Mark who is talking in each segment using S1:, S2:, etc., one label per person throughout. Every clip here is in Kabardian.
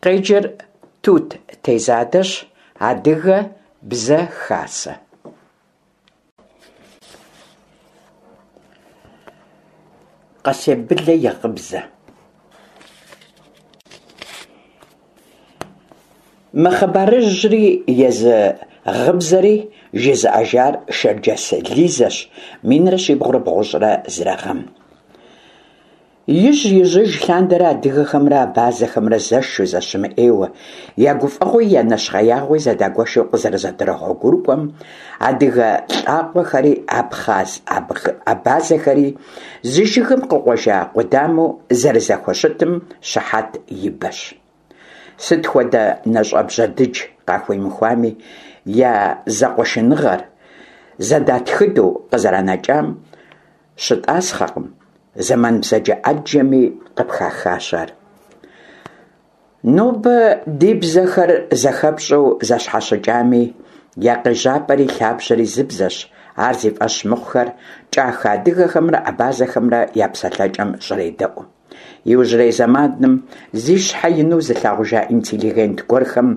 S1: Къеджэр Тут Тезадэщ, Адыгэ бзэ хасэ. Къэсей Былэ и гъыбзэ. Мы хъыбарыжьри езы гъыбзэри жызыӏэжар Шэрджэс Лизэщ 1391 гъэм. Ижь-ижьыж лъандэрэ адыгэхэмрэ абазэхэмрэ зэшу, зэщымыӏейуэ, я гуфӏэгъуи я нэщхъеягъуи зэдагуэшу къызэрызэдэгъуэгурыкӏуэм, адыгэ лӏакъуэхэри абхъаз-абазэхэри зы жыгым къыкъуэжа къудамэу зэрызэхущытым щыхьэт и бэщ. Сыт хуэдэ нэщӏэбжьэ дыдж къахуимыхуами, я зэкъуэшыныгъэр зэдатхыдэу къызэранэкӏам щытӏасхъэкъым, зэман бзаджэ ӏэджэми къыпхахащ ар. Нобэ ди бзэхэр зэхэпщӏэу зэщхьэщыкӏами, я къежьапӏэри лъабжьэри зы бзэщ, ар зи фӏэщ мыхъухэр кӏахэ адыгэхэмрэ абазэхэмрэ я псэлъэкӏэм щӏредэӏу. Иужьрей зэманым зи щхьэ ину зылъагъужа интеллигент гуэрхэм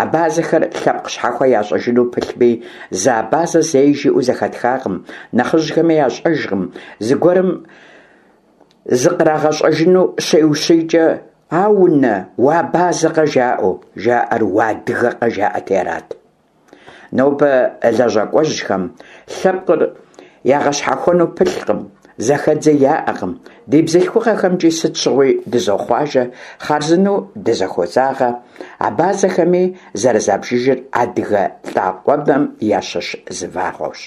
S1: абазэхэр лъэпкъ щхьэхуэ ящӏыжыну пылъми, зы абазэ зэи жиӏэу зэхэтхакъым, нэхъыжьхэми ящӏэжкъым, зыгуэрым зыкърагъэщӏэжыну щеущийкӏэ, «Аунэ, уабазэкъэ?» жаӏэу, жаӏэр «Уадыгэкъэ?» жаӏэти арат. Нобэ лэжьакӏуэжьхэм лъэпкъыр ягъэщхьэхуэну пылъкъым, зэхэдзи яӏэкъым, ди бзылъхугъэхэмкӏи сыт щыгъуи дызохъуажэ, хъарзынэу дызэхозагъэ, абазэхэми зэрызабжыжыр адыгэ лӏакъуэбэм ящыщ зы вагъуэущ.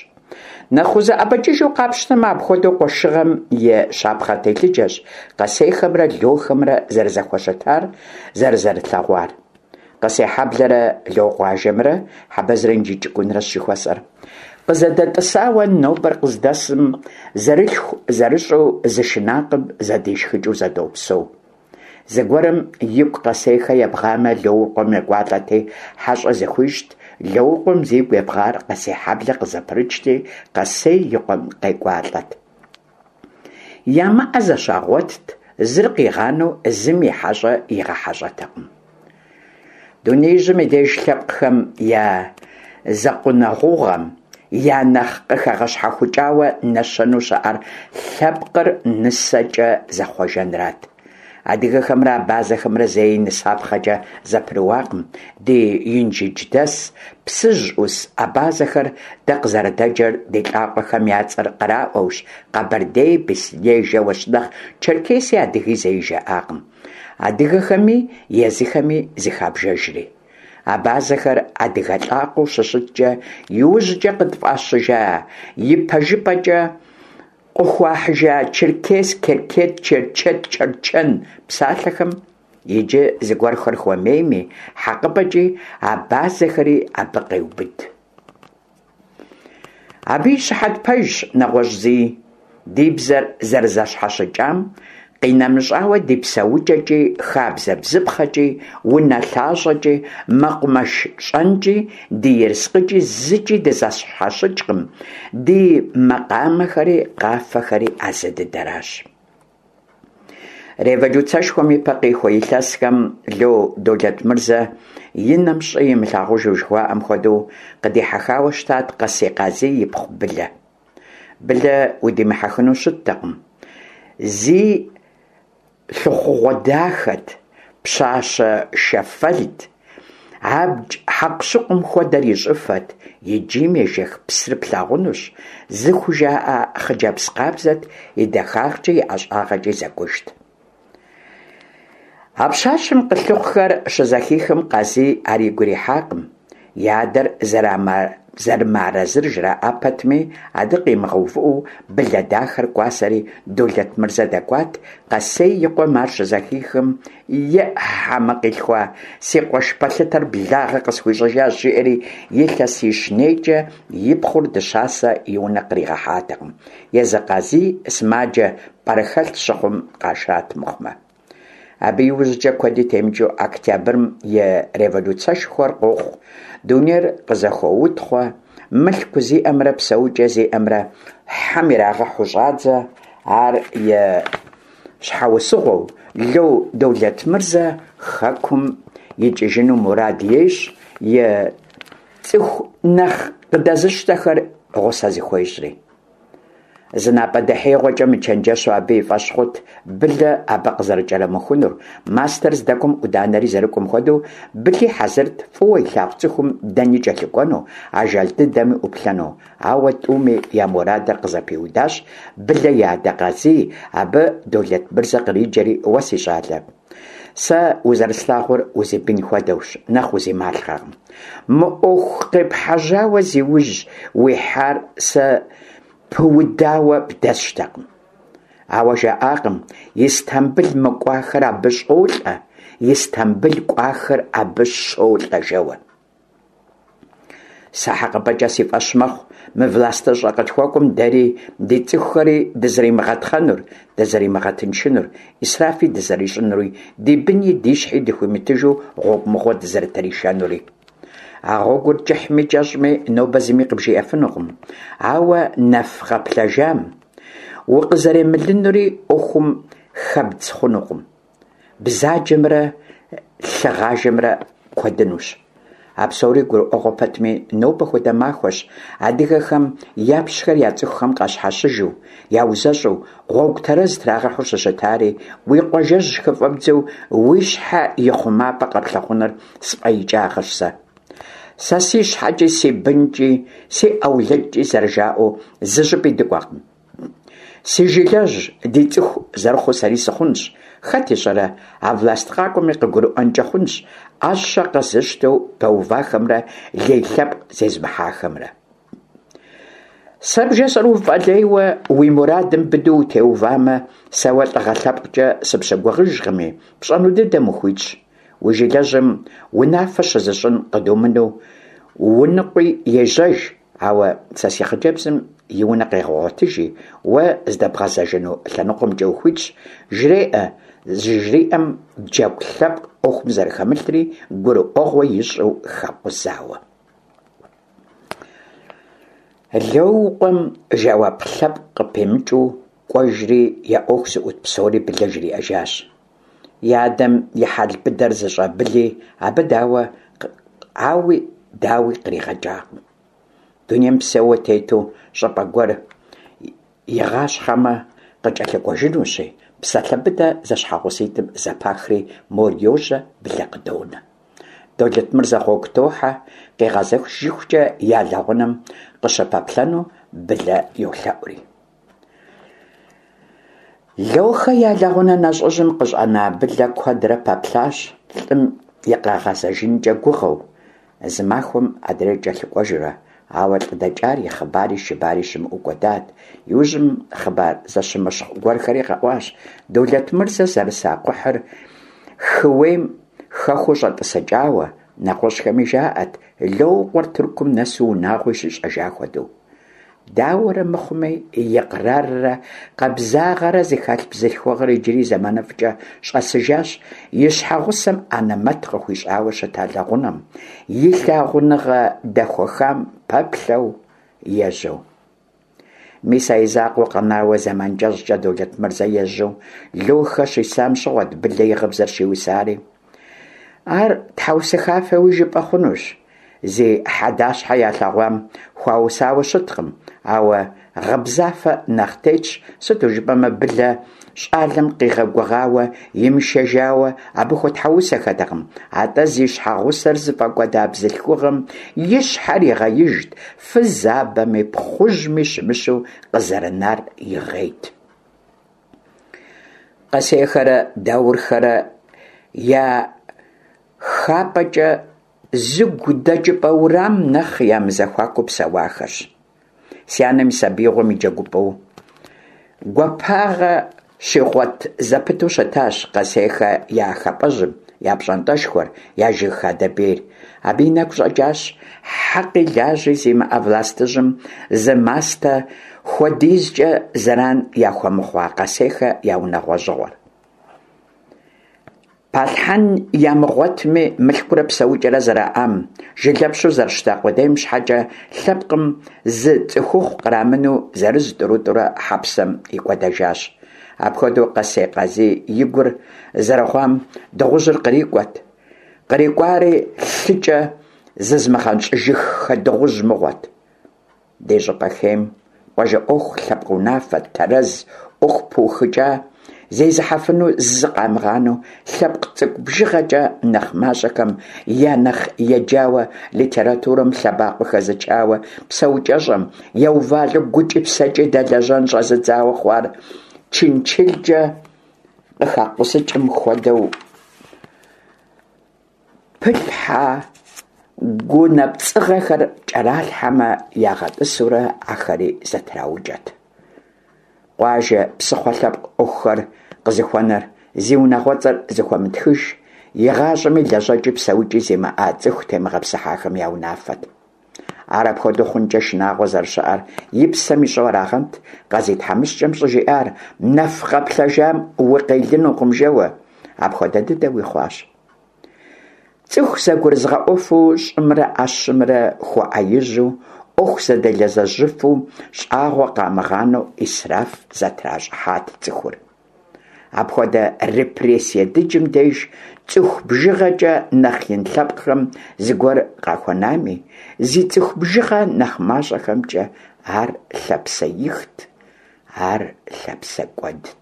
S1: Нэхъ узэӏэбэкӏыжу къапщтэмэ, апхуэдэу къуэшыгъэм и щапхъэ телъыджэщ Къэсейхэмрэ Лохэмрэ зэрызэхущытар, зэрызэрылъэгъуар. Къэсейхьэблэрэ Локъуажэмрэ, Хьэбэзрэ Инжыдж Цӏыкӏунрэщ жыхуэсӏэр. Къызэдэтӏысауэ нобэр къыздэсым зэрылъху зэрыщӏэу зы шынакъым зэдишхыкӏыу зэдопсэу. Зыгуэрым игу Къэсейхэ ебгъамэ, Лоукъуэм екӏуалӏэти, хьэщӏэ зыхуищӏт, Лоукъуэм зигу ебгъар Къэсейхьэблэ къызэпрыкӏти, Къэсей и къуэм къекӏуалӏэт. Ямыӏэ зэщагъуэтт, зыр къигъанэу зым и хьэщӏэ игъэхьэщӏэтэкъым. Дунеижьым и деж лъэпкъхэм я зэкъунэгъугъэм я нэхъ къыхэгъэщхьэхукӏауэ нэщэнэу щыӏэр лъэпкъыр нысэкӏэ зэхъуэжэнрат. Адыгэхэмрэ абазэхэмрэ зэи нысапхъэкӏэ зэпрыуакъым, ди инжыдждэс, Псыжь ӏус абазэхэр дэ къызэрыдэджэр ди лӏакъуэхэм я цӏэр къраӏуэущ, къэбэрдей, беслъэней жэуэщ, нэхъ черкеси адыги зэи жаӏакъым. Адыгэхэми езыхэми зыхабжэжри. Абазэхэр адыгэ лӏакъуэу щыщыткӏэ, иужькӏэ къытфӏащыжа, ипэжыпӏэкӏэ къыхуахьыжа черкес, керкет, черчет, чэрчэн псалъэхэм иджы зыгуэрхэр хуэмейми, хьэкъыпӏэкӏи абазэхэри абы къеубыд. Абы и щыхьэт пэжщ нэгъуэщӏ зыи, ди бзэр зэрызэщхьэщыкӏам къинэмыщӏауэ ди псэукӏэкӏи, хабзэ-бзыпхъэкӏи, унэлъащӏэкӏи, мэкъумэш щӏэнкӏи, ди ерыскъыкӏи зыкӏи дызэщхьэщыкӏкъым, ди макъамэхэри къафэхэри а зы дыдэращ. Революцэшхуэм ипэ къихуэ илъэсхэм Ло Долэтмырзэ и нэм щӏы имылъагъужу жыхуаӏэм хуэдэу къыдихьэхауэ щытат Къэсей Къазий ипхъу Былэ. Былэ удимыхьэхыну щыттэкъым. Зи лъыхъугъуэ дахэт, пщащэ шэфэлт, абдж хьэкъущыкъум хуэдэр и щӏыфэт, и джийм ежэх псыр плъагъунущ, зыхужаӏэ хъыджэбз къабзэт, и дахагъкӏи и ӏэщӏагъэкӏи зэкӏужт. А пщащэм къылъыхъухэр щызэхихым Къазий ар игу ирихьакъым. И адэр зэрымыарэзыр жраӏа пэтми, абы къимыгъэувыӏэу Былэ дахэр кӏуасэри Долэтмырзэ дэкӏуат, Къэсей и къуэм ар щызэхихым, Еӏ, хьэмэ къилъхуа, си къуэш пэлъытэр благъэ къысхуищӏыжащ, жиӏэри илъэсищ нейкӏэ и пхъур дыщасэ и унэ къригъэхьатэкъым. Езы Къазий сымаджэ пӏэрыхэлъ щыхъум къашат мыхъумэ. Абы иужькӏэ куэди темыкӏыу Октябрым и революцэшхуэр къохъу, дунейр къызэхоутхъуэ, мылъку зиӏэмрэ псэукӏэ зиӏэмрэ хьэм ирагъэхьу щӏадзэ, ар и щхьэусыгъуэу Ло Долэтмырзэ хэкум икӏыжыну мурад ещӏ, и цӏыху нэхъ къыдэзыщтэхэр гъусэ зыхуещӏри. Зы напӏэдэхьеигъуэкӏэ мычэнджэщу абы и фӏэщ хъут Былэ абы къызэрыкӏэрымыхунур, мастэр здэкӏуэм ӏуданэри зэрыкӏуэм хуэдэу, Были хьэзырт фӏыуэ илъагъу цӏыхум дэни кӏэлъыкӏуэну, ажал дыдэми ӏуплъэну. Ауэ тӏуми я мурадыр къызэпиудащ Былэ и адэ Къазий, абы Долэтмырзэ къриджэри, Уэ, си щӏалэ, сэ узэрыслъагъур узибын хуэдэущ, нэхъ узималъхъэкъым. Мы ӏуэху къепхьэжьауэ зи ужь уихьар сэ пыудауэ бдэсщтэкъым. Ауэ жаӏакъым, Истамбыл мыкӏуахэр абы щӏолӏэ, Истамбыл кӏуахэр абы щолӏэ жэуэ. Сэ хьэкъыпӏэкӏэ си фӏэщ мэхъу мы властыщӏэ къытхуэкӏуэм дэри ди цӏыхухэри дызэримыгъэтхъэнур, дызэримыгъэтыншынур, ӏисрафи дызэрищӏынури, ди быни ди щхьи дыхуимытыжу гъуэгу мыгъуэ дызэрытришэнури. А гъуэгур кӏыхьми кӏэщӏми нобэ зыми къыбжиӏэфынукъым, ауэ нэф къэплъэжам укъызэремылынури ӏуэхум хэбдз хъунукъым. Бзаджэмрэ лъыгъажэмрэ куэдынущ. А псори гурыӏуэгъуэ пэтми, нобэ хуэдэ махуэщ адыгэхэм япщхэр я цӏыхухэм къащхьэщыжу, яузэщӏу, гъуэгу тэрэз трагъэхьэу щыщытари, уи къуажэжь хыфӏэбдзэу уи щхьэ и хъумапӏэ къэплъыхъуныр сфӏэикӏагъэщ сэ. Сэ си щхьэкӏи, си бынкӏи, си ӏэулэдкӏи зэрыжаӏэу зы щӏыпӏи дыкӏуэкъым. Си жылэжь ди цӏыху зэрыхъуу сэри сыхъунщ. Хэт ищӏэрэ, а власть къакӏуэми къыгурыӏуэнкӏэ хъунщ ӏэщэ къэзыщтэу пэувахэмрэ лей лъэпкъ зезмыхьахэмрэ. Сэ бжесӏэр уфӏэлейуэ уи мурадым быдэу утеувамэ, сэ уэ лӏыгъэ лъэпкъкӏэ сыпщыгугъыжкъыми, пщӏэну дыдэм ухуитщ. Уи жылэжьым унафэ щызыщӏын къыдумыну уныкъуи ежьэж, ауэ сэ си хъыджэбзым и унэ къегъэгъуэтыжи, уэ здэбгъэзэжыну лъэныкъуэмкӏэ ухуитщ, жреӏэ, зыжриӏэм джэгу лъэпкъ ӏуэхум зэрыхэмылъри гурыӏуэгъуэ ищӏу хэкъузауэ. Лоукъуэм жэуап лъэпкъ къыпимыкӏыу кӏуэжри я ӏуэху зыӏут псори Былэ жриӏэжащ. И адэм и хьэл быдэр зыщӏэ Были абы дауэ ауи дауи къригъэкӏакъым. Дунейм псэууэ тету щӏыпӏэ гуэр игъащхъэмэ, къыкӏэлъыкӏуэжынущи, псалъэ быдэ зэщхьэгъуситӏым зэпахри, мор йожьэ, Былэ къыдонэ. Долэтмырзэ гъуэгу тохьэ, къигъэзэжыхукӏэ я лэгъунэм къыщыпэплъэну Былэ йолъэӏури. Лохэ я лэгъунэ нэщӏыжьым къыщӏэна Былэ куэдрэ пэплъащ лӏым и къэгъэзэжынкӏэ гугъэу, зы махуэм адрейр кӏэлъыкӏуэжурэ, ауэ лӏы дэкӏар и хъыбари шыбари щымыӏэу кӏуэдат. Иужьым хъыбар зэщымыщхъу гуэрхэри къэӏуащ, Долэтмырзэ зэрыса кхъухьыр хыуейм хэхуэу щӏэтӏысыкӏауэ, нэгъуэщӏхэми жаӏэт Лоукъуэр Тыркум нэсу унагъуи щищӏэжа хуэдэу. Дауэрэ мыхъуми, икъраррэ къабзагъэрэ зыхэлъ бзылъхугъэр иджыри зэманыфӏкӏэ щӏэсыжащ и щхьэгъусэм анэмэт къыхуищӏауэ щыта лэгъунэм, и лъагъуныгъэ дэхуэхам пэплъэу ежьэу. Мис а и закъуэу къэнауэ зэман кӏэщӏкӏэ Долэтмырзэ ежьэу Лохэ щисам щыгъуэт Былэ и гъыбзэр щиусари. Ар тхьэусыхафэуи жыпӏэ хъунущ. Зи хьэдащхьэ ялъэгъуам хуаусауэ щыткъым, ауэ гъыбзафэ нэхъ тетщ, сыту жыпӏэмэ Былэ щӏалэм къигъэгугъауэ, имышэжауэ абы хуэтхьэусэхэтэкъым, атӏэ зи щхьэгъусэр зыфӏэкӏуэда бзылъхугъэм и щхьэр игъеижт, фызабэми пхъужьми щымыщу къызэрынар игъейт. Къэсейхэрэ Даурхэрэ я хапӏэкӏэ зы гу дэкӏыпӏэ урам нэхъ ямызэхуакуу псэуахэщ. Си анэм и сабиигъуэм и джэгупӏэу гуапагъэ щигъуэт зэпыту щытащ Къэсейхэ я хапӏэжьым, я пщӏантӏэшхуэр, я жыг хадэ бейр. Абы и нэгу щӏэкӏащ хьэкъи лажьи зимыӏэ властыжьым зы мастэ хуэдизкӏэ зэран яхуэмыхъуа Къэсейхэ я унагъуэжьыгъуэр. Палъхьэн ямыгъуэтми, мылъкурэ псэукӏэрэ зэраӏам, жылэпщу зэрыщыта къудейм щхьэкӏэ лъэпкъым зы цӏыхухъу кърамыну зырыз-тӏурытӏурэ хьэпсэм икӏуэдэжащ. Апхуэдэу Къэсей Къазий и гур зэрыгъуам дыгъужьыр кърикӏуэт. Кърикӏуари лъыкӏэ зызмыгъэнщӏыжыххэ дыгъужь мыгъуэт. Ди щӏыпӏэ хейм къуажэ ӏуэху, лъэпкъ унафэ тэрэз, ӏуэху пыухыкӏа зезыхьэфыну зы къамыгъанэу, лъэпкъ цӏыкӏу бжыгъэкӏэ нэхъ мащӏэхэм я нэхъ еджауэ, литературэм лъэбакъуэ хэзычауэ, псэукӏэщӏэм еувалӏэу гукӏи псэкӏи дэлэжьэн щӏэзыдзауэ хъуар чынчылкӏэ къыхакъузыкӏым хуэдэу пылъхьэ гунапцӏыгъэхэр кӏэралъхьэмэ ягъэтӏысурэ ахэри зэтраукӏэт. Къуажэ псыхъуэ лъэпкъ ӏуэхухэр къызыхуэнэр зи унагъуэцӏэр зыхуэмытхыж, игъащӏэми лэжьэкӏи псэукӏи зимыӏа цӏыху темыгъэпсыхьахэм я унафэт. Ар апхуэдэу хъункӏэ шынагъуэ зэрыщыӏэр и псэм ищӏэу арагъэнт Къазий тхьэмыщкӏэм щӏыжиӏар, нэф къэплъэжам укъелынукъым жэуэ. Апхуэдэ дыдэуи хъуащ. Цӏыху зэгурызыгъэӏуэфу, щӏымрэ ӏэщымрэ хуэӏэижьу, ӏуэху зэдэлэжьэжыфу, щӏагъуэ къамыгъанэу ӏисраф зэтращӏыхьат цӏыхур. Апхуэдэ репрессие дыджым деж цӏыху бжыгъэкӏэ нэхъ ин лъэпкъхэм зыгуэр къахуэнами, зи цӏыху бжыгъэ нэхъ мащӏэхэмкӏэ ар лъапсэихт, ар лъапсэкӏуэдт.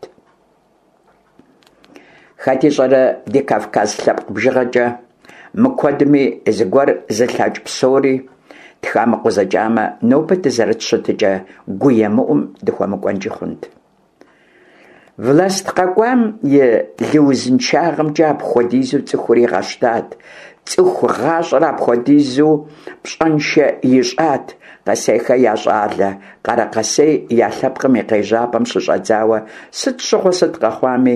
S1: Хэт ищӏэрэ ди кавказ лъэпкъ бжыгъэкӏэ мыкуэдми зыгуэр зылъэкӏ псори тхамыкъузыкӏамэ, нобэ дызэрыт щытыкӏэ гуемыӏум дыхуэмыкӏуэнкӏи хъунт. Власть къэкӏуам и лыузыншагъэмкӏэ апхуэдизу цӏыхур игъэщтат, цӏыху гъащӏэр апхуэдизу пщӏэншэ ищӏат Къэсейхэ я щӏалэ Къарэкъэсей я лъэпкъым и къежьапӏэм щыщӏэдзауэ сыт щыгъуэ сыт къэхъуами,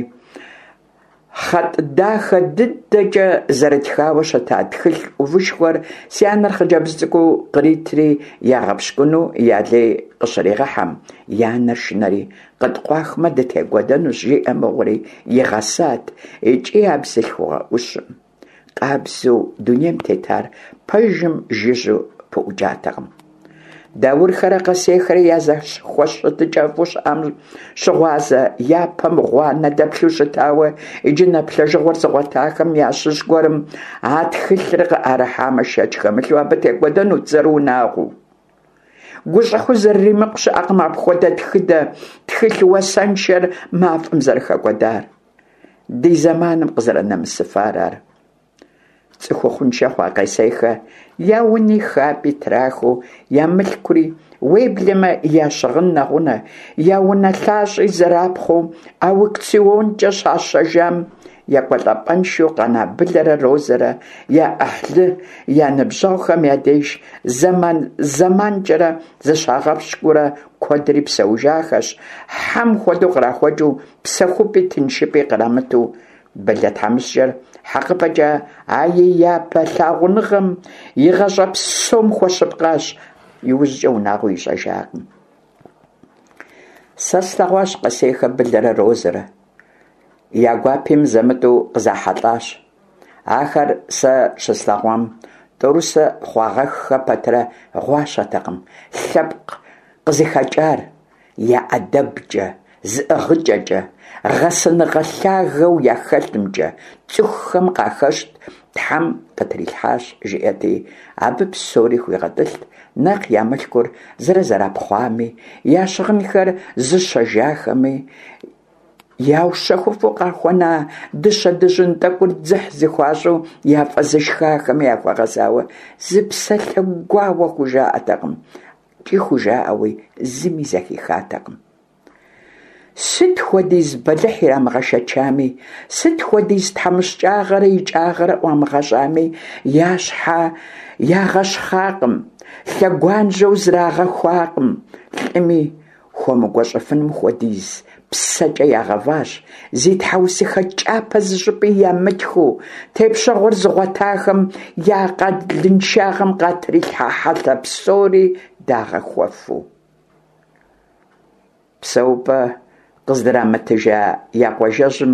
S1: Хъэтӏ дахэ дыдэкӏэ зэрытхауэ щыта тхылъ ӏувышхуэр си анэр хъыджэбз цӏыкӏуу къритри ягъэпщкӏуну я лей къыщригъэхьэм, и анэр шынэри, къыткъуахмэ дытекӏуэдэнущ, жиӏэ мыгъуэри игъэсат икӏи а бзылъхугъэ ӏущым. Къабзэу дунейм тетар пэжым жыжьэу пыӏукӏатэкъым. Даурхэрэ Къэсейхэрэ я зэхущытыкӏэфӏу щыӏам щыгъуазэ япэм гъуанэ дэплъу щытауэ, иджы нэплъэжыгъуэр зыгъуэтахэм ящыщ гуэрым а тхылъыр къыӏэрыхьамэ, шэч хэмылъу абы текӏуэдэнут зэрыунагъуэу. Гущӏыхьу зэрыримыкъу щыӏэкъым апхуэдэ тхыдэ тхылъ уасэншэр мафӏэм зэрыхэкӏуэдар. Ди зэманым къызэрынэмысыфар ар. Цӏыхухъуншэ хъуа Къэсейхэ я уни хапӏи трахыу, я мылъкури, уеблэмэ я щыгъын нэгъунэ, я унэлъащӏи зэрапхъуэу аукционкӏэ щащэжам, екӏуэлӏапӏэншэу къэна Былэрэ Розэрэ я ӏыхьлы, я ныбжьэгъухэм я деж зэман-зэманкӏэрэ зыщагъэпщкӏуурэ куэдри псэужахэщ, хьэм хуэдэу кърахуэкӏыу, псэхупӏи тыншыпӏи кърамыту. Былэ тхьэмыщкӏэр хьэкъыпӏэкӏэ а и япэ лъагъуныгъэм и гъащӏэ псом хуэщыпкъащ, иужькӏэ унагъуи ищӏэжакъым. Сэ слъэгъуащ Къэсейхэ Былэрэ Розэрэ. Я гуапи мызэ-мытӏэу къызахьэлӏащ. Ахэр сэ щыслъэгъуам тӏорысэ хъуагъэххэ пэтрэ гъуащэтэкъым, лъэпкъ къызыхэкӏар, я ӏэдэбкӏэ, зыӏыгъыкӏэкӏэ, гъэсэныгъэ лъагэу яхэлъымкӏэ цӏыхухэм къахэщт, Тхьэм къытрилъхьащ, жиӏэти, абы псори хуигъэтӏылът, нэхъ я мылъкур зэрызэрапхъуами, я щыгъынхэр зыщэжахэми, яущэхуфу къахуэна дыщэ-дыжьын тӏэкӏур дзыхь зыхуащӏу яфӏэзышхахэми яхуэгъэзауэ зы псалъэ гуауэ хужаӏэтэкъым. Икӏи хужаӏэуи зыми зэхихатэкъым. Сыт хуэдиз бэлыхь ирамыгъэшэчами, сыт хуэдиз тхьэмыщкӏагъэрэ икӏагъэрэ ӏуамыгъэщӏами, я щхьэ ягъэщхъакъым, лъэгуанжьэу зрагъэхуакъым, лӏыми хуэмыгуэщӏыфыным хуэдиз псэкӏэ ягъэващ, зи тхьэусыхэ кӏапэ зыщӏыпӏи ямытхыу, тепщэгъуэр зыгъуэтахэм я акъылыншагъэм къатрилъхьа хьэлъэ псори дагъэхуэфу. Псэупӏэ къыздрамытыжа я къуажэжьым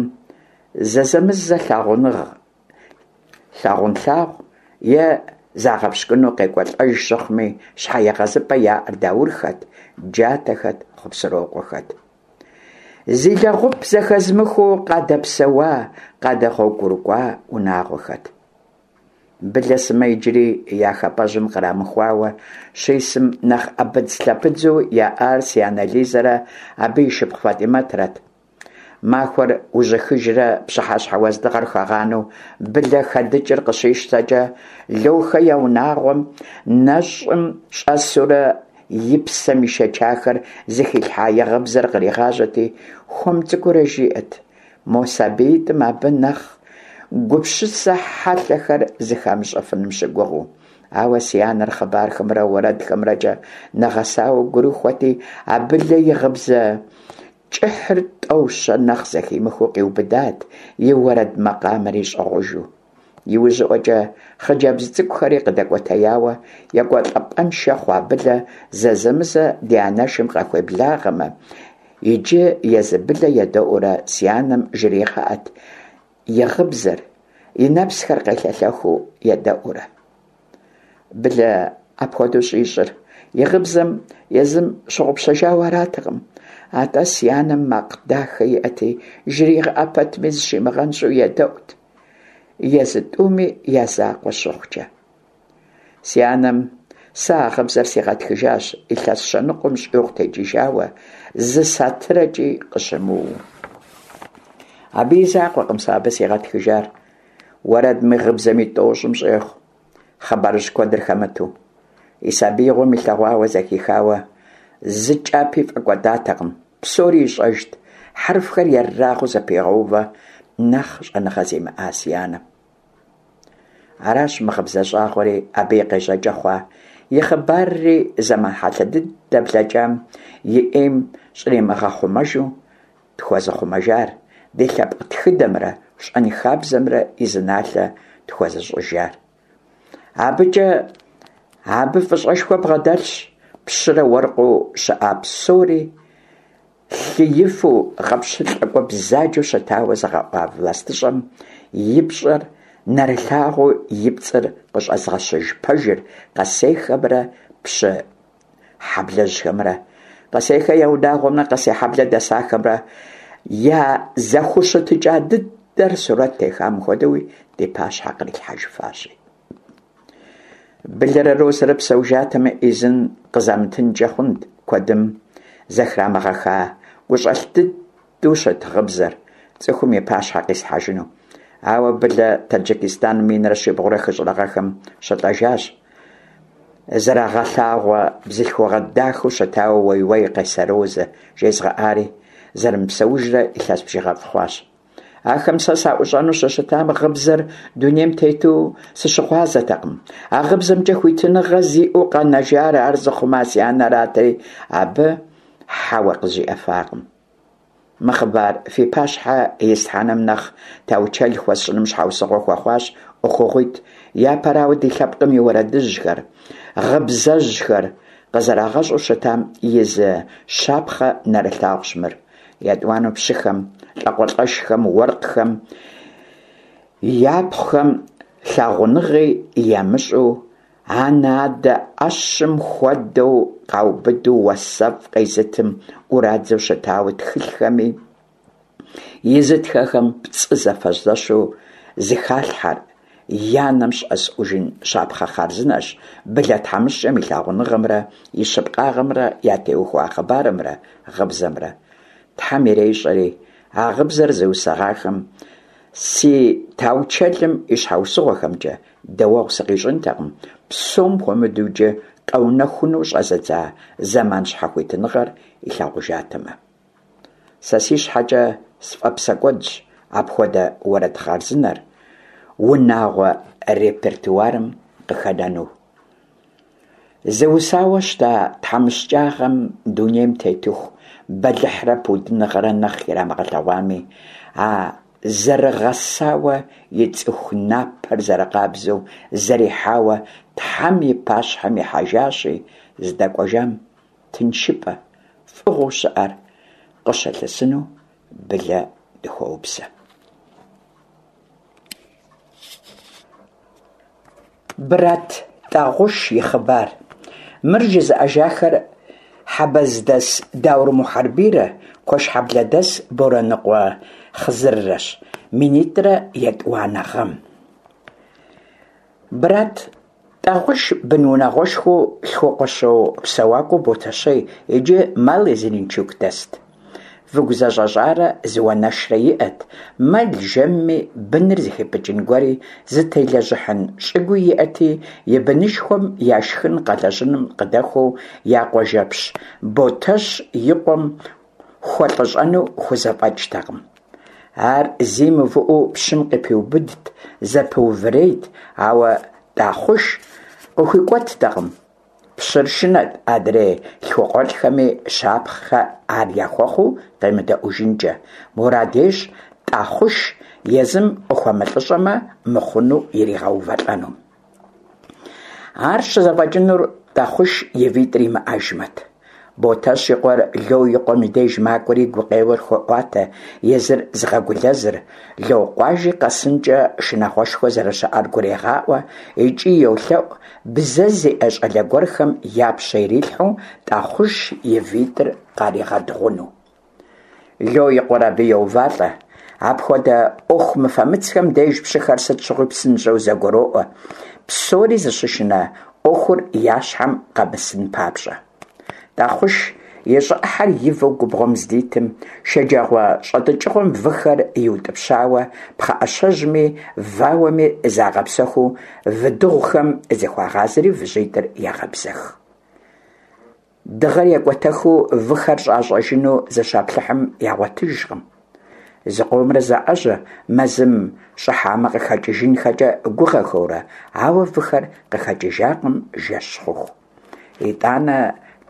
S1: зэзэмызэ лъагъуныгъ лъагъунлъагъу е загъэпщкӏуну къекӏуэлӏэж щыхъуми, щхьэегъэзыпӏэ яӏэр Даурхэт, Джатэхэт, Хъупсырокъуэхэт. Зи лэгъуп зэхэзмыхыу къадэпсэуа, къадэгъуэгурыкӏуа унагъуэхэт. Былэ сымэ иджыри я хапӏэжьым кърамыхуауэ щисым нэхъ ӏэбыдзлъэбыдзу яӏар си анэ Лизэрэ абы и шыпхъу Фатӏимэтрэт. Махуэр ужьыхыжрэ пщыхьэщхьэ уэздыгъэр хэгъанэу Былэ хэдыкӏыр къыщищтэкӏэ, Лохэ я унагъуэм нэщӏым щӏэсурэ и псэм ишэчахэр зыхилъхьа и гъыбзэр къригъажьэти, хуэм цӏыкӏуурэ жиӏэт. Мо сабиитӏым абы нэхъ гупсысэ хьэлъэхэр зыхамыщӏэфыным щыгугъыу. Ауэ си анэр хъыбархэмрэ уэрэдхэмрэкӏэ нэгъэсауэ гурыхуэти, а Былэ и гъыбзэ кӏыхьыр тӏэу-щэ нэхъ зэхимыхыу къиубыдат, и уэрэд макъамэри щӏыгъужу. Иужьыӏуэкӏэ хъыджэбз цӏыкӏухэри къыдэкӏуэтеяуэ, екӏуэлӏапӏэншэ хъуа Былэ зэзэмызэ ди анэшым къахуеблагъэмэ, иджы езы Былэ едэӏуурэ си анэм жригъэӏэт и гъыбзэр, и нэпсхэр къелъэлъэхыу едэӏуурэ. Былэ апхуэдэу щӏищӏыр и гъыбзэм езым щыгъупщэжауэ аратэкъым, атӏэ си анэм макъ дахэ иӏэти, жригъэӏэ пэтми зыщимыгъэнщӏу едэӏут, езы тӏуми я закъуэ щыхъукӏэ. Си анэм сэ а гъыбзэр сигъэтхыжащ илъэс щэ ныкъуэм щӏигъу текӏыжауэ, зы сатырэкӏи къыщымыуэу. Абы и закъуэкъым сэ абы сигъэтхыжар. Уэрэдми гъыбзэми тӏощӏым щӏехъу, хъыбарыжь куэдыр хэмыту. И сабиигъуэм илъэгъуауэ зэхихауэ зы кӏапи фӏэкӏуэдатэкъым, псори ищӏэжт, хьэрфхэр ерагъыу зэпигъэувэ нэхъ щӏэныгъэ зимыӏа си анэм. Аращ мы гъыбзэ щӏагъуэри абы и къежьэкӏэ хъуа, и хъыбарри зэман хьэлъэ дыдэ блэкӏам и ӏейм щӏримыгъэхъумэжу тхуэзыхъумэжар, ди лъэпкъ тхыдэмрэ щӏэнхабзэмрэ и зы налъэ тхуэзыщӏыжар. Абыкӏэ абы фӏыщӏэшхуэ бгъэдэлъщ пщырэ уэркъыу щыӏа псори лъыифу гъэпщылӏакӏуэ бзаджэу щытауэ зыгъэӏуа властыщӏэм и пщӏэр нэрылъагъуу и пцӏыр къыщӏэзгъэщыж пэжыр Къэсейхэмрэ пщы хьэблэжьхэмрэ, Къэсейхэ я унагъуэмрэ Къэсейхьэблэ дэсахэмрэ я зэхущытыкӏа дыдэр сурэт техам хуэдэуи ди пащхьэ кърилъхьэжыфащи. Былэрэ Розэрэ псэужатэмэ, ӏизын къызамытынкӏэ хъунт куэдым зэхрамыгъэха гущӏэлъ дыдэу щыт гъыбзэр цӏыхум и пащхьэ къисхьэжыну. Ауэ Былэ Таджикистаным минрэ щибгъурэ хыщӏрэ гъэхэм щылӏэжащ. Зэрагъэлъагъуэ бзылъхугъэ дахэу щытауэ уей-уей Къэсей Розэ жезгъэӏари, зэрымыпсэужрэ илъэс бжыгъэфӏ хъуащ. Ахэм сэ саӏущӏэну щыщытам гъыбзэр дунейм тету сыщыгъуазэтэкъым. А гъыбзэмкӏэ хуитыныгъэ зиӏэу къэнэжар ар зыхъума си анэрати, абы хьэуэ къызжиӏэфакъым. Мы хъыбар фи пащхьэ ислъхьэным нэхъ таучэл хуэсщӏыным щхьэусыгъуэ хуэхъуащ ӏуэхугъуитӏ. Япэрауэ, ди лъэпкъым и уэрэдыжьхэр, гъыбзэжьхэр къызэрагъэщӏу щытам и зы щапхъэ нэрылъагъущ мыр. Етӏуанэу, пщыхэм, лӏакъуэлӏэшхэм, уэркъхэм япхъухэм лъагъуныгъи ямыщӏу, анэ-адэ ӏэщым хуэдэу къаубыду уасэфӏ къезытым ӏурадзэу щытауэ тхылъхэми изытхэхэм пцӏы зэфэзэщу зыхалъхьэр я нэм щӏэзыӏужын щапхъэ хъарзынэщ Былэ тхьэмыщкӏэм и лъагъуныгъэмрэ и щыпкъагъэмрэ ятеухуа хъыбарымрэ гъыбзэмрэ. Тхьэм ирещӏэри, а гъыбзэр зыусыгъахэм си таучэлым и щхьэусыгъуэхэмкӏэ дэуэгъу сыкъищӏынтэкъым, псом хуэмыдэу иджы къэунэхуну щӏэзыдза зэман щхьэхуитыныгъэр илъагъужатэмэ. Сэ си щхьэкӏэ сфӏэпсэкӏуэдщ апхуэдэ уэрэд хъарзынэр унагъуэ репертуарым къыхэнэну. Зыусауэ щыта тхьэмыщкӏагъэм дунейм тетыху бэлыхьрэ пудыныгъэрэ нэхъ ирамыгъэлъэгъуами, а зэрыгъэсауэ и цӏыху напэр зэрыкъабзэу зэрихьауэ Тхьэм и пащхьэм ихьэжащи, здэкӏуэжам тыншыпӏэ, фӏыгъуэу щыӏэр къыщылъысыну Былэ дыхуоупсэ. Брат Тӏагъуш и хъыбар. Мыр жызыӏэжахэр Хьэбэздэс Даур Мухьэрбийрэ Куэшхьэблэдэс Борэныкъуэ Хъызыррэщ, минитӏрэ етӏуанэ гъэм. Брат Тӏагъуш бынунагъуэшхуэу лъхукъуэщо псэуакӏуэу Ботэщей, иджы Малый Зеленчук дэст. Выгу зэщӏэщӏарэ зы уанэшрэ иӏэт, мэл жэмми, быныр зыхипӏыкӏын гуэри, зытелэжьыхьын щӏыгуи иӏэти, и бынышхуэм я шхын къэлэжьыным къыдэхуэу я къуажэпщ Ботэщ и къуэм хуэлӏыщӏэну хузэфӏэкӏтэкъым. Ар зи мыувыӏэу пщым къыпиубыдт, зэпэувырейт, ауэ Тӏахъуш къыхуикӏуэттэкъым. Пщыр шынэт адрей лъхукъуэлӏхэми щапхъэ ар яхуэхъуу къемыдэӏужынкӏэ. Мурад ещӏ Тӏахъуш езым къыхуэмылӏыщӏэмэ мыхъуну иригъэувэлӏэну. Ар щызэфӏэкӏынур Тӏахъуш и витӏыр имыӏэжмэт. Ботэщ и къуэр Ло и къуэм и деж макӏуэри гукъеуэр хуеӏуатэ, езыр зыгъэгулэзыр, Локъуажи къэсынкӏэ шынагъуэшхуэ зэрыщыӏэр гурегъаӏуэ икӏи йолъэӏу бзэ зиӏэ щӏалэ гуэрхэм я пщэ ирилъхьэу Тӏахъуш и витӏыр къаригъэдыгъуну. Ло и къуэр абы йоувалӏэ. Апхуэдэ ӏуэху мыфэмыцхэм деж пщыхэр сыт щыгъуи псынщӏэу зэгуроӏуэ, псори зыщышынэ ӏуэхур я щхьэм къэмысын папщӏэ. Тӏахъуш и щӏы ӏыхьэр ивэу губгъуэм здитым, шэджагъуэ щӏэтӏыкӏыгъуэм выхэр иутӏыпщауэ, пхъэӏэщэжьми вауэми загъэпсэхуу выдыгъухэм зыхуагъазэри выжьитӏыр ягъэбзэх. Дыгъэр екӏуэтэхыу выхэр щӏащӏэжыну зыщаплъыхьым ягъуэтыжкъым. Зыкъомрэ заӏэжьэ, мэзым щӏыхьамэ къыхэкӏыжынхэкӏэ гугъэхэурэ, ауэ выхэр къыхэкӏыжакъым жэщ хъуху. Итӏанэ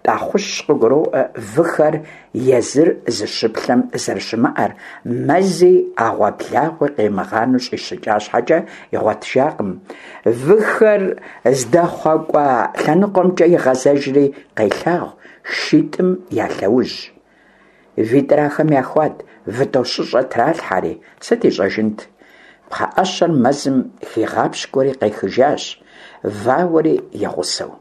S1: Тӏахъущ къыгуроӏуэ выхэр езыр зыщыплъэм зэрыщымыӏэр, мэзи ӏэгъуэблагъуи къимыгъанэу щӏищыкӏа щхьэкӏэ игъуэтыжакъым. Выхэр здэхъуэкӏуа лъэныкъуэмкӏэ игъэзэжри къелъагъу шитӏым я лъэужь. Витӏыр ахэм яхуат, вытӏощыщӏэ тралъхьэри, сыт ищӏэжынт? Пхъэӏэщэр мэзым хигъапщкӏуэри къехыжащ, вауэри и гъусэу.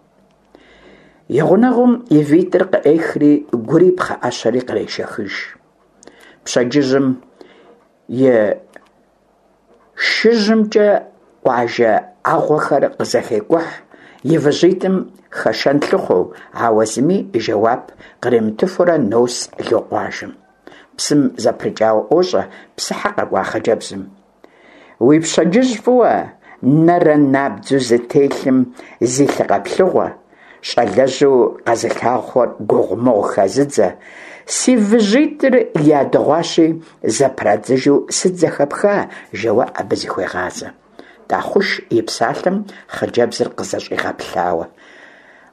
S1: И гъунэгъум и витӏыр къыӏехри, гури пхъэӏэщэри кърешэхыж. Пщэдджыжьым и шыжьымкӏэ къуажэ ӏэгъуэхэр къызэхекӏухь, и выжьитӏым хэшэн лъыхъуэу, ауэ зыми жэуап къримытыфурэ нос Локъуажэм. Псым зэпрыкӏауэ ӏуощӏэ псыхьэ къэкӏуа хъыджэбзым. Уи пщэдджыжь фӏыуэ, нэрэ набдзэу зытелъым зи лъы къэплъыгъуэ, щӏалэжьу къэзылъагъухэр гугъумыгъу хэзыдзэ, си выжьитӏыр ядыгъуащи, зэпрадзыжу сыт зэхэпха, жэуэ абы зыхуегъазэ. Тӏахъуш и псалъэм хъыджэбзыр къызэщӏигъэплъауэ.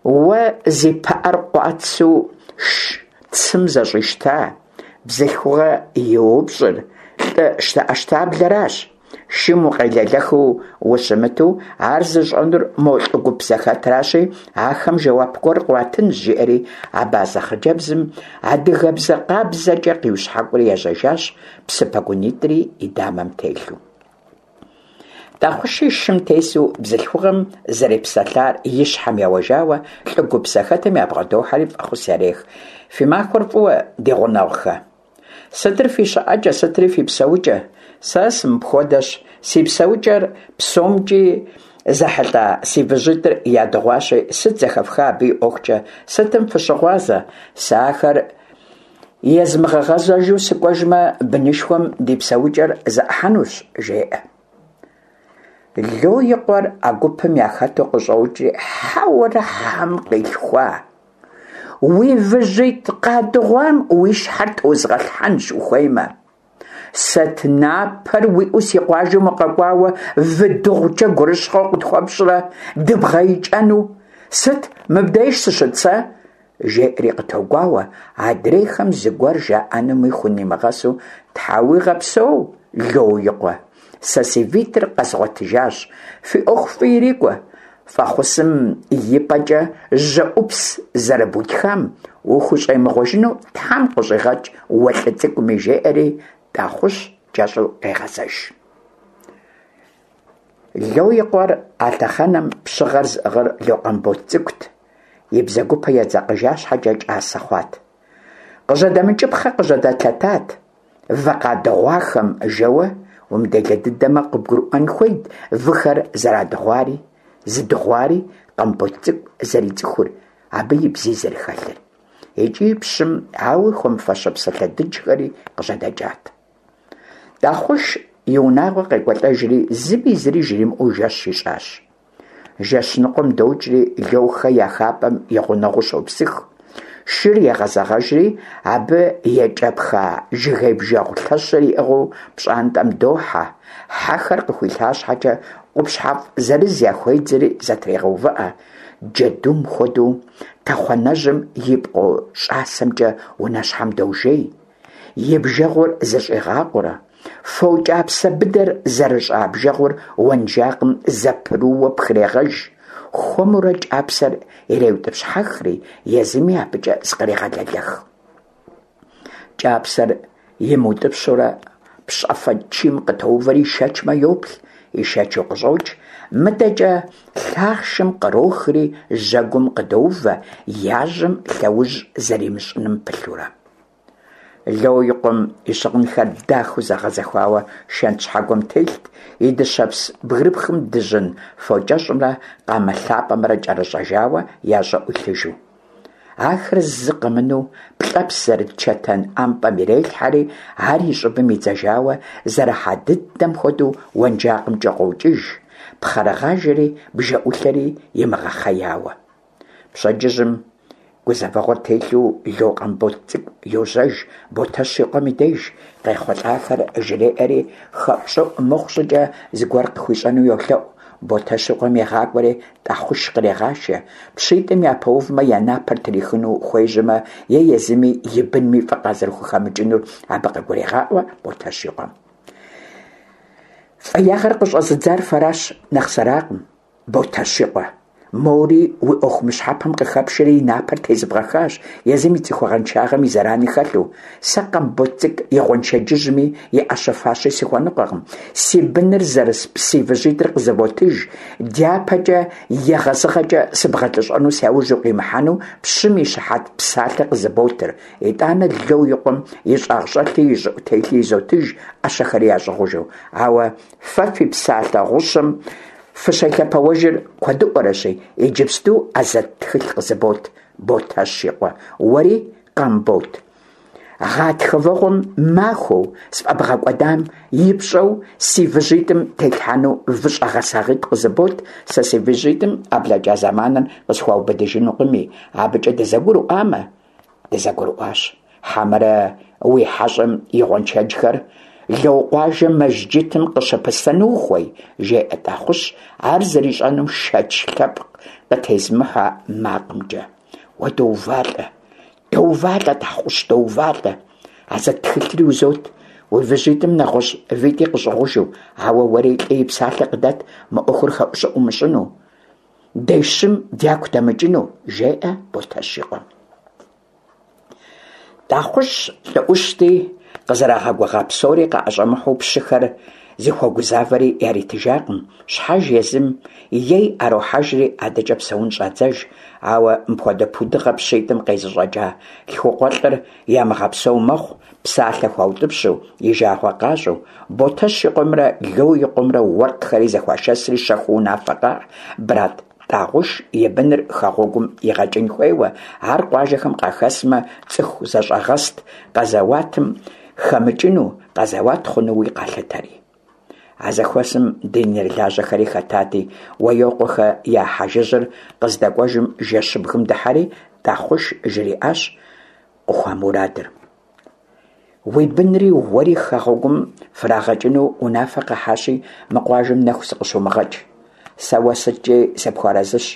S1: Уэ зи пыӏэр къуацэу цым зэщӏищта, бзылъхугъэ еупщӏыр лӏы щтэӏэщтаблэращ. Шым укъелэлэхыу ущымыту, ар зыщӏэнур мо лӏы гуп зэхэтращи, ахэм жэуап гуэр къуатынщ, жиӏэри абазэ хъыджэбзым адыгэбзэ къабзэкӏэ къиущхьэкӏури ежьэжащ, псы пэгунитӏри и дамэм телъу. Тӏахъуши шым тесу бзылъхугъэм зэрепсэлъар и щхьэм еуэжауэ, лӏы гуп зэхэтым ябгъэдохьэри фӏэхъус ярех. Фи махуэр фӏыуэ, ди гъунэгъухэ! Сытыр фи щыӏэкӏэ, сытри фи псэукӏэ? Сэ сымыпхуэдэщ, си псэукӏэр псомкӏи зэхьэлӏа си выжьитӏыр ядыгъуащи, сыт зэхэфха абы и ӏуэхукӏэ, сытым фыщыгъуазэ? Сэ ахэр езмыгъэгъэзэжу сыкӏуэжмэ, бынышхуэм ди псэукӏэр зэӏыхьэнущ, жеӏэ. Ло и къуэр а гупым яхэту къыщӏокӏри, хьэуэрэ хьэм къилъхуа! Уи выжьитӏ къадыгъуам уи щхьэр тозгъэлъхьэнщ ухуеймэ. Сэт напэр уиӏэу си къуажэм укъэкӏуауэ вы дыгъукӏэ гурыщхъуэ къытхуэпщӏрэ дыбгъэикӏэну? Сыт мыбдеж сыщыт сэ? Жеӏэри къытогуауэ, адрейхэм зыгуэр жаӏэнуми хунимыгъэсу, Тхьэ уигъэпсэу, Ло и къуэ, сэ си витӏыр къэзгъуэтыжащ, фи ӏуэху фӏы ирикӏуэ, фӏэхъусым и пӏэкӏэ жьэӏупс зэрыбутхам ухущӏемыгъуэжыну Тхьэм къыщӏигъэкӏ уэ лӏы цӏыкӏуми, жеӏэри Тӏахъущ кӏэщӏу къегъэзэж. Ло и къуэр а лъэхъэнэм пщыгъэр зыӏыгъыр Ло Къамбот цӏыкӏут, и бзэгупэ едзэкъыжа щхьэкӏэ кӏасэ хъуат. Къыжьэдэмыкӏыпхъэ къыжьэдэлъэтат, вы къадыгъуахэм жэуэ, умыделэ дыдэмэ къыбгурыӏуэн хуейт выхэр зэрадыгъуари. зыдыгъуари Къамбот цӏыкӏу зэрицӏыхур, абы и бзи зэрыхэлъыр. Икӏи пщым ауи хуэмыфащэ псалъэ дыджхэри къыжьэдэкӏат. Тӏахъуш и унагъуэ къекӏуэлӏэжри, зыми зыри жримыӏэу жэщ ищӏащ. Жэщ ныкъуэм докӏри, Лоухэ я хапӏэм и гъунэгъуу щопсых. Шыр егъэзэгъэжри, абы екӏэпха жыгей бжэгъу лъэщыр иӏыгъыу пщӏантӏэм дохьэ, хьэхэр къыхуилъа щхьэкӏэ къупщхьэфӏ зырыз яхуедзри зэтрегъэувыӏэ, джэдум хуэдэу тэхъуанэжьым и пкъо щӏасэмкӏэ унэщхьэм дожей. И бжэгъур зыщӏигъакъуэрэ, фо кӏапсэ быдэр зэрыщӏа бжэгъур уэнжакъым зэпрыууэ пхрегъэж, хуэмурэ кӏапсэр иреутӏыпщхьэхри, езыми абыкӏэ зыкърегъэлэлэх. Кӏапсэр имыутӏыпщурэ пщӏэфэ чийм къытоувэри ишэчмэ йоплъ, ишэчу къыщӏокӏ, мыдэкӏэ лъахъшым кърохри жьэгум къыдоувэ, яжьэм лъэужь зэримыщӏыным пылъурэ. Ло и къуэм и щыгъынхэр дахэу зэгъэзэхуауэ шэнт щхьэгуэм телът, и дыщэпс бгырыпхым дыжьын фокӏэщӏымрэ къамэ лъапӏэмрэ кӏэрыщӏэжауэ я щӏыӏу илъыжу. Ахэр зы къэмынэу плӏэпс зэрыт чэтэн ӏэмпӏэм ирелъхьэри, ар и щӏыбым идзэжауэ зэрыхьа дыдэм хуэдэу уэнжакъымкӏэ къокӏыж, пхъэрыгъажэри бжэӏулъэри имыгъэхъеяуэ. Пщэдджыжьым гузэвэгъуэр телъу Ло Къамбот цӏыкӏу йожьэж Ботэщ и къуэм и деж, къехъулӏахэр жреӏэри, хэӏущӏыӏу мыхъу щӏыкӏэ зыгуэр къыхуищӏэну йолъэӏу. Ботэщ и къуэм егъакӏуэри Тӏахъуш кърегъашэ. Пщитӏым япэувмэ, я напэр трихыну хуежьэмэ, е езыми и бынми фӏы къазэрыхухэмыкӏынур абы къыгурегъаӏуэ Ботэщ и къуэм. Фӏеягъэр къыщӏэзыдзар фэращ, нэхъ сэракъым. Ботэщ и къуэ, мори уи ӏуэху мыщхьэпэм къыхэпшэри и напэр тезыбгъэхащ, езым и цӏыхугъэншагъэм и зэрани хэлъу. Сэ Къамбот цӏыкӏу и гъуэншэджыжьми и ӏэщэ-фащи сыхуэныкъуэкъым. Си быныр зэрыс си выжьитӏыр къызывотыж, дяпэкӏэ егъэзыгъэкӏэ сыбгъэлӏыщӏэну сяужь укъимыхьэну пщым и щыхьэт псалъэ къызыботыр. Итӏанэ Ло и къуэм и щӏагъщӏэлъи и щӏыӏу телъи изотыж, ӏэщэхэри ящӏыгъужу. Ауэ фэ фи псалъэ гъущэм Фыщелъэпэуэжыр куэдыӏуэрэщи, иджыпсту ӏэзэт тхылъ къызыбот, Ботэщ и къуэ, уэри, Къамбот. Гъатхэ вэгъуэм махуэу сфӏэбгъэкӏуэдам и пщӏэу си выжьитӏым тетлъхьэну выщӏэ гъэсагъитӏ къызыбот, сэ си выжьитӏым а блэкӏа зэманыр къысхуаубыдыжынукъыми, абыкӏэ дызэгурыӏуамэ, дызэгурыӏуащ. Хьэмэрэ уи хьэщӏэм и гъуэншэджхэр Лоукъуажэ мэжджытым къыщыпыслъэну ухуей? жеӏэ Тӏахъущ, ар зэрищӏэнум шэч лъэпкъ къытезымыхьэ макъымкӏэ. Уэ доувалӏэ, доувалӏэ, Тӏахъущ, доувалӏэ. Азэт тхылъри узот, уи выжьитӏым нэгъуэщӏ витӏи къыщӏыгъужу, ауэ уэри лӏы и псалъэ къыдэт мы ӏуэхур хэӏущӏыӏу умыщӏыну. Дещым дяку дэмыкӏыну, жеӏэ Ботэщ и къуэм. Тӏахъущ лӏы ӏущти, къызэрагъэгугъа псори къаӏэщӏэмыхьэу пщыхэр зыхуэгузавэри яритыжакъым, щхьэж езым ей ӏэрохьэжри адэкӏэ псэун щӏадзэж, ауэ мыпхуэдэ пудыгъэ пщитӏым къезыщӏэкӏа лъхукъуэлӏыр ямыгъэпсэу мэхъу, псалъэ хуаутӏыпщу, и жагъуэ къащӏу, Ботэщ и къуэмрэ Ло и къуэмрэ уэркъхэри зэхуашэсри щэхуу унафэ къахь, Брат Тӏагъуш и быныр хэгъуэгум игъэкӏын хуейуэ, ар къуажэхэм къахэсмэ, цӏыху зэщӏэгъэст къэзэуатым хэмыкӏыну, къэзэуат хъунуи къалъытэри. А зэхуэсым динырылажьэхэри хэтати, Уэйокъуэхэ я хьэжыжьыр къыздэкӏуэжым жэщыбгым дыхьэри, Тӏахъуш жриӏащ къыхуамурадыр. Уи бынри уэри хэгъуэгум фрагъэкӏыну унафэ къахьащи, мы къуажэм нэху сыкъыщумыгъэкӏ. Сэ уэ сыткӏи сыпхуэарэзыщ,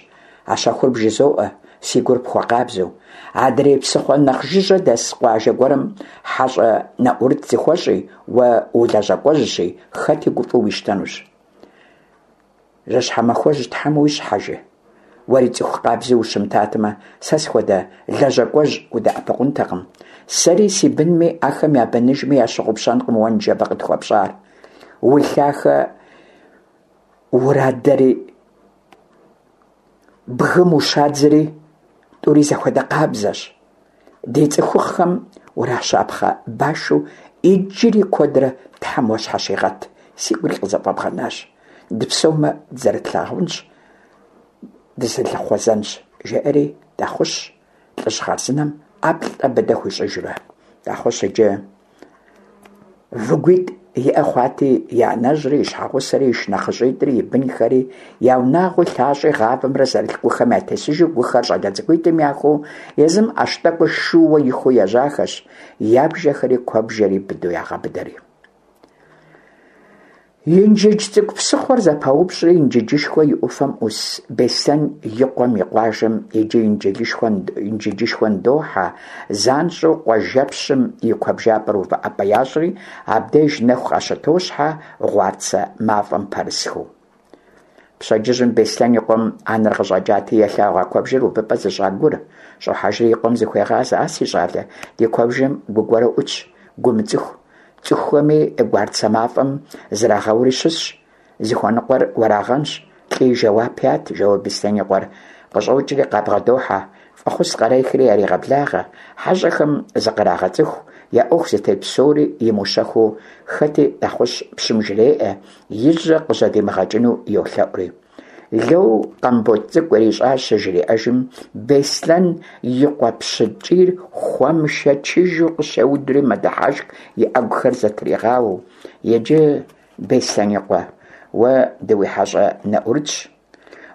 S1: а щэхур бжызоӏэ, си гур пхуэкъабзэу. Адрей псыхъуэ нэхъ жыжьэ дэс къуажэ гуэрым хьэщӏэ нэӏурыт зыхуэщӏи, уэ улэжьакӏуэжьщи, хэти гуфӏэу уищтэнущ. Жьыщхьэ махуэжь Тхьэм уищӏ, хьэжы. Уэри цӏыху къабзэу ущымытатэмэ, сэ схуэдэ лэжьакӏуэжь удэӏэпыкъунтэкъым. Сэри си бынми, ахэм я быныжми ящыгъупщэнкъым уэ ныжэбэ къытхуэпщӏар. Уи лъахэ урадэри, бгым ущадзэри тӏури зэхуэдэ къабзэщ. Ди цӏыхухъхэм уращапхъэ башу иджыри куэдрэ Тхьэм уащхьэщигъэт, си гури къызэфӏэбгъэнащ. Дыпсэумэ, дызэрытлъагъунщ. дызэлъыхъуэзэнщ, жеӏэри Тӏахъущ лӏыжь хъарзынэм ӏэплӏэ быдэ хуищӏыжурэ. Тӏахъущ иджы выгуитӏ иӏэ хъуати, и анэжьри, и щхьэгъусэри, и шынэхъыщӏитӏри, и бынхэри, я унагъуи лъащӏи гъавэмрэ зэрылъ гухэм ятесыжу гухэр щӏалэ цӏыкӏуитӏым яхуу, езым ӏэщ тӏэкӏур шууэ ихуу ежьахэщ, я бжэхэри куэбжэри быдэу ягъэбыдэри. Инжыдж Цӏыкӏу псыхъуэр зэпаупщӏри, Инжыджышхуэ и ӏуфэм ӏус Беслъэн и къуэм и къуажэм иджы Инжыджышхуэ ныдохьэ, занщӏэу къуажэпщым и куэбжапӏэр увыӏэпӏэ ящӏри, абдеж нэху къащытощхьэ гъуарцэ мафӏэм пэрысхэу. Пщэдджыжьым Беслъэн и къуэм анэр къыщӏэкӏати, елъагъу а куэбжэр увыпӏэ зыщӏа гур. Щӏохьэжри и къуэм зыхуегъазэ: А си щӏалэ, ди куэбжэм гу гуэрэ ӏутщ, гу мыцӏыху. Цӏыхухэми гуарцэ мафӏэм зрагъэури щысщ. Зыхуэныкъуэр уэрагъэнщ, лӏи жэуап ят, жэуэ Беслъэн и къуэр къыщӏокӏри къабгъэдохьэ, фӏэхъус кърехри ярегъэблагъэ, хьэщӏэхэм зыкърагъэцӏыху, я ӏуэху зытет псори имыущэхуу хэти Тӏахъущ пщым жреӏэ, и жьэ къыжьэдимыгъэкӏыну йолъэӏури. Ло Къамбот цӏыкӏу ирищӏар щыжриӏэжым, Беслъэн и къуэ пщы ткӏийр хуэмышэчыжу къыщеудри мэдыхьэшх и ӏэгухэр зэтригъауэу. Иджы, Беслъэн и къуэ, уэ дыуихьэщӏэ нэӏурытщ.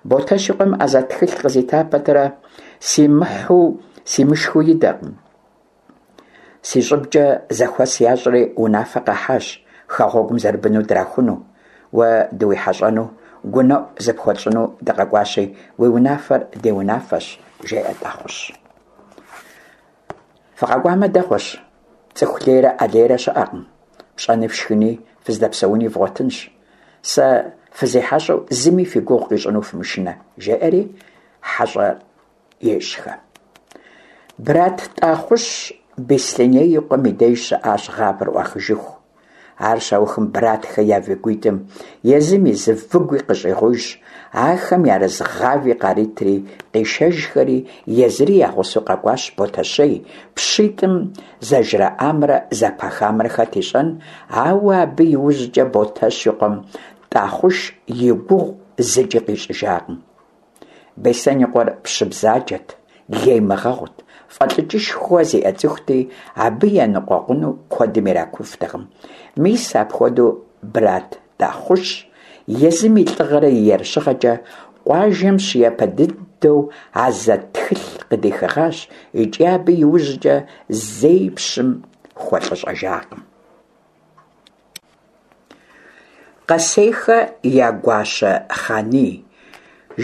S1: Ботэщ и къуэм Азэт тхылъ къызита пэтрэ, симыхьу симышхыу идэкъым. Си щӏыбкӏэ зэхуэс ящӏри унафэ къахьащ хэгъуэгум зэрыбыну драхуну. Уэ дыуихьэщӏэну, гунэӏу зыпхуэтщӏыну дыкъэкӏуащи, уи унафэр ди унафэщ, жеӏэ Тӏахъущ. Фыкъэкӏуамэ дэгъуэщ, цӏыху лейрэ ӏэлейрэ щыӏэкъым, пщӏэни фшхыни, фыздэпсэуни вгъуэтынщ. Сэ фызихьэщӏэу зыми фи гугъу къищӏыну фымышынэ, жеӏэри хьэщӏэр ещӏхэ. Брат Тӏахъущ Беслъэней и къуэм и деж щыӏащ гъавэр ӏуахыжыху. Ар щаухым Братхэ я выгуитӏым езым и зы выгуи къыщӏигъужщ, ахэм ярыз гъави къаритри, къишэжхэри, езыри я гъусэу къэкӏуащ Ботэщей, пщитӏым зэжраӏамрэ зэпахамрэ хэт ищӏэн, ауэ абы иужькӏэ Ботэщ и къуэм Тӏахъуш и гугъу зыкӏи къищӏыжакъым. Беслъэн и къуэр пщы бзаджэт, леймыгъэгъут, фӏэлӏыкӏышхуэ зиӏэ цӏыхути, абы еныкъуэкъуну куэдым иракуфтэкъым. Мис апхуэдэу Брат Тӏахъущ езым и лӏыгъэрэ и ерыщыгъэкӏэ къуажэм щыяпэ дыдэу Азэт тхылъ къыдихыгъащ икӏи абы иужькӏэ зэи пщым хуэлӏыщӏэжакъым. Къэсейхэ я гуащэ Хъаний.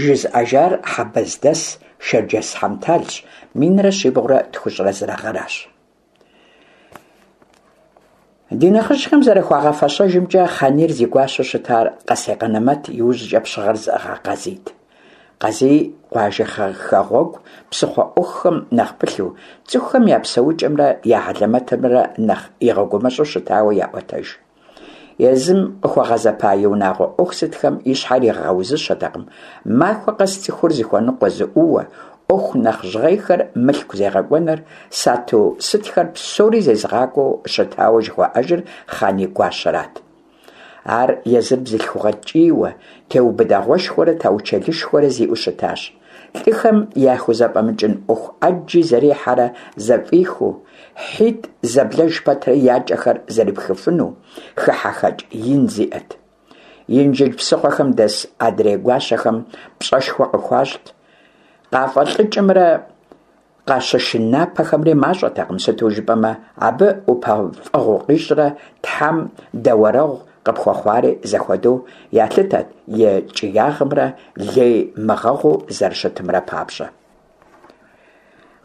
S1: Жызыӏэжар Хьэбэздэс Шэрджэс Хьэмталщ, 1391 гъэращ. Ди нэхъыжьхэм зэрыхуагъэфэщэжымкӏэ, Хъанийр зи гуащэу щытар Къэсей Къэнэмэт иужькӏэ пщыгъэр зыӏыгъа Къазийт. Къазий къуажэ хэгъуэгу псыхъуэ ӏуэхухэм нэхъ пылъу, цӏыхухэм я псэукӏэмрэ я хьэлэмэтымрэ нэхъ игъэгумэщӏу щытауэ яӏуэтэж. Езым къыхуэгъэзэпа и унагъуэ ӏуэху сытхэм и щхьэр игъэузыщэтэкъым, махуэ къэс цӏыхур зыхуэныкъуэ зыӏууэ, ӏуэху нэхъ жьгъейхэр мылъку зегъэкӏуэныр, сату сытхэр псори зезыгъакӏуэу щытауэ жыхуаӏэжыр Хъаний гуащэрат. Ар езыр бзылъхугъэ ткӏийуэ, теубыдэгъуэшхуэрэ таучэлышхуэрэ зиӏэу щытащ. Лӏыхэм яхузэфӏэмыкӏын ӏуэху ӏэджи зэрихьэрэ зэфӏихыу, хьитӏ зэблэж пэтрэ я кӏэхэр зэрипхыфыну, хыхьэхэкӏ ин зиӏэт. Инжыдж псыхъуэхэм дэс адрей гуащэхэм пщӏэшхуэ къыхуащӏт. Къафӏэлӏыкӏымрэ Къащышынапэхэмри мащӏэтэкъым, сыту жыпӏэмэ, абы ӏупэфӏэгъу къищӏрэ Тхьэм дэуэрэгъу къыпхуэхъуари зэхуэдэу ялъытэт и ткӏиягъымрэ лей мыгъэгъуу зэрыщытымрэ папщӏэ.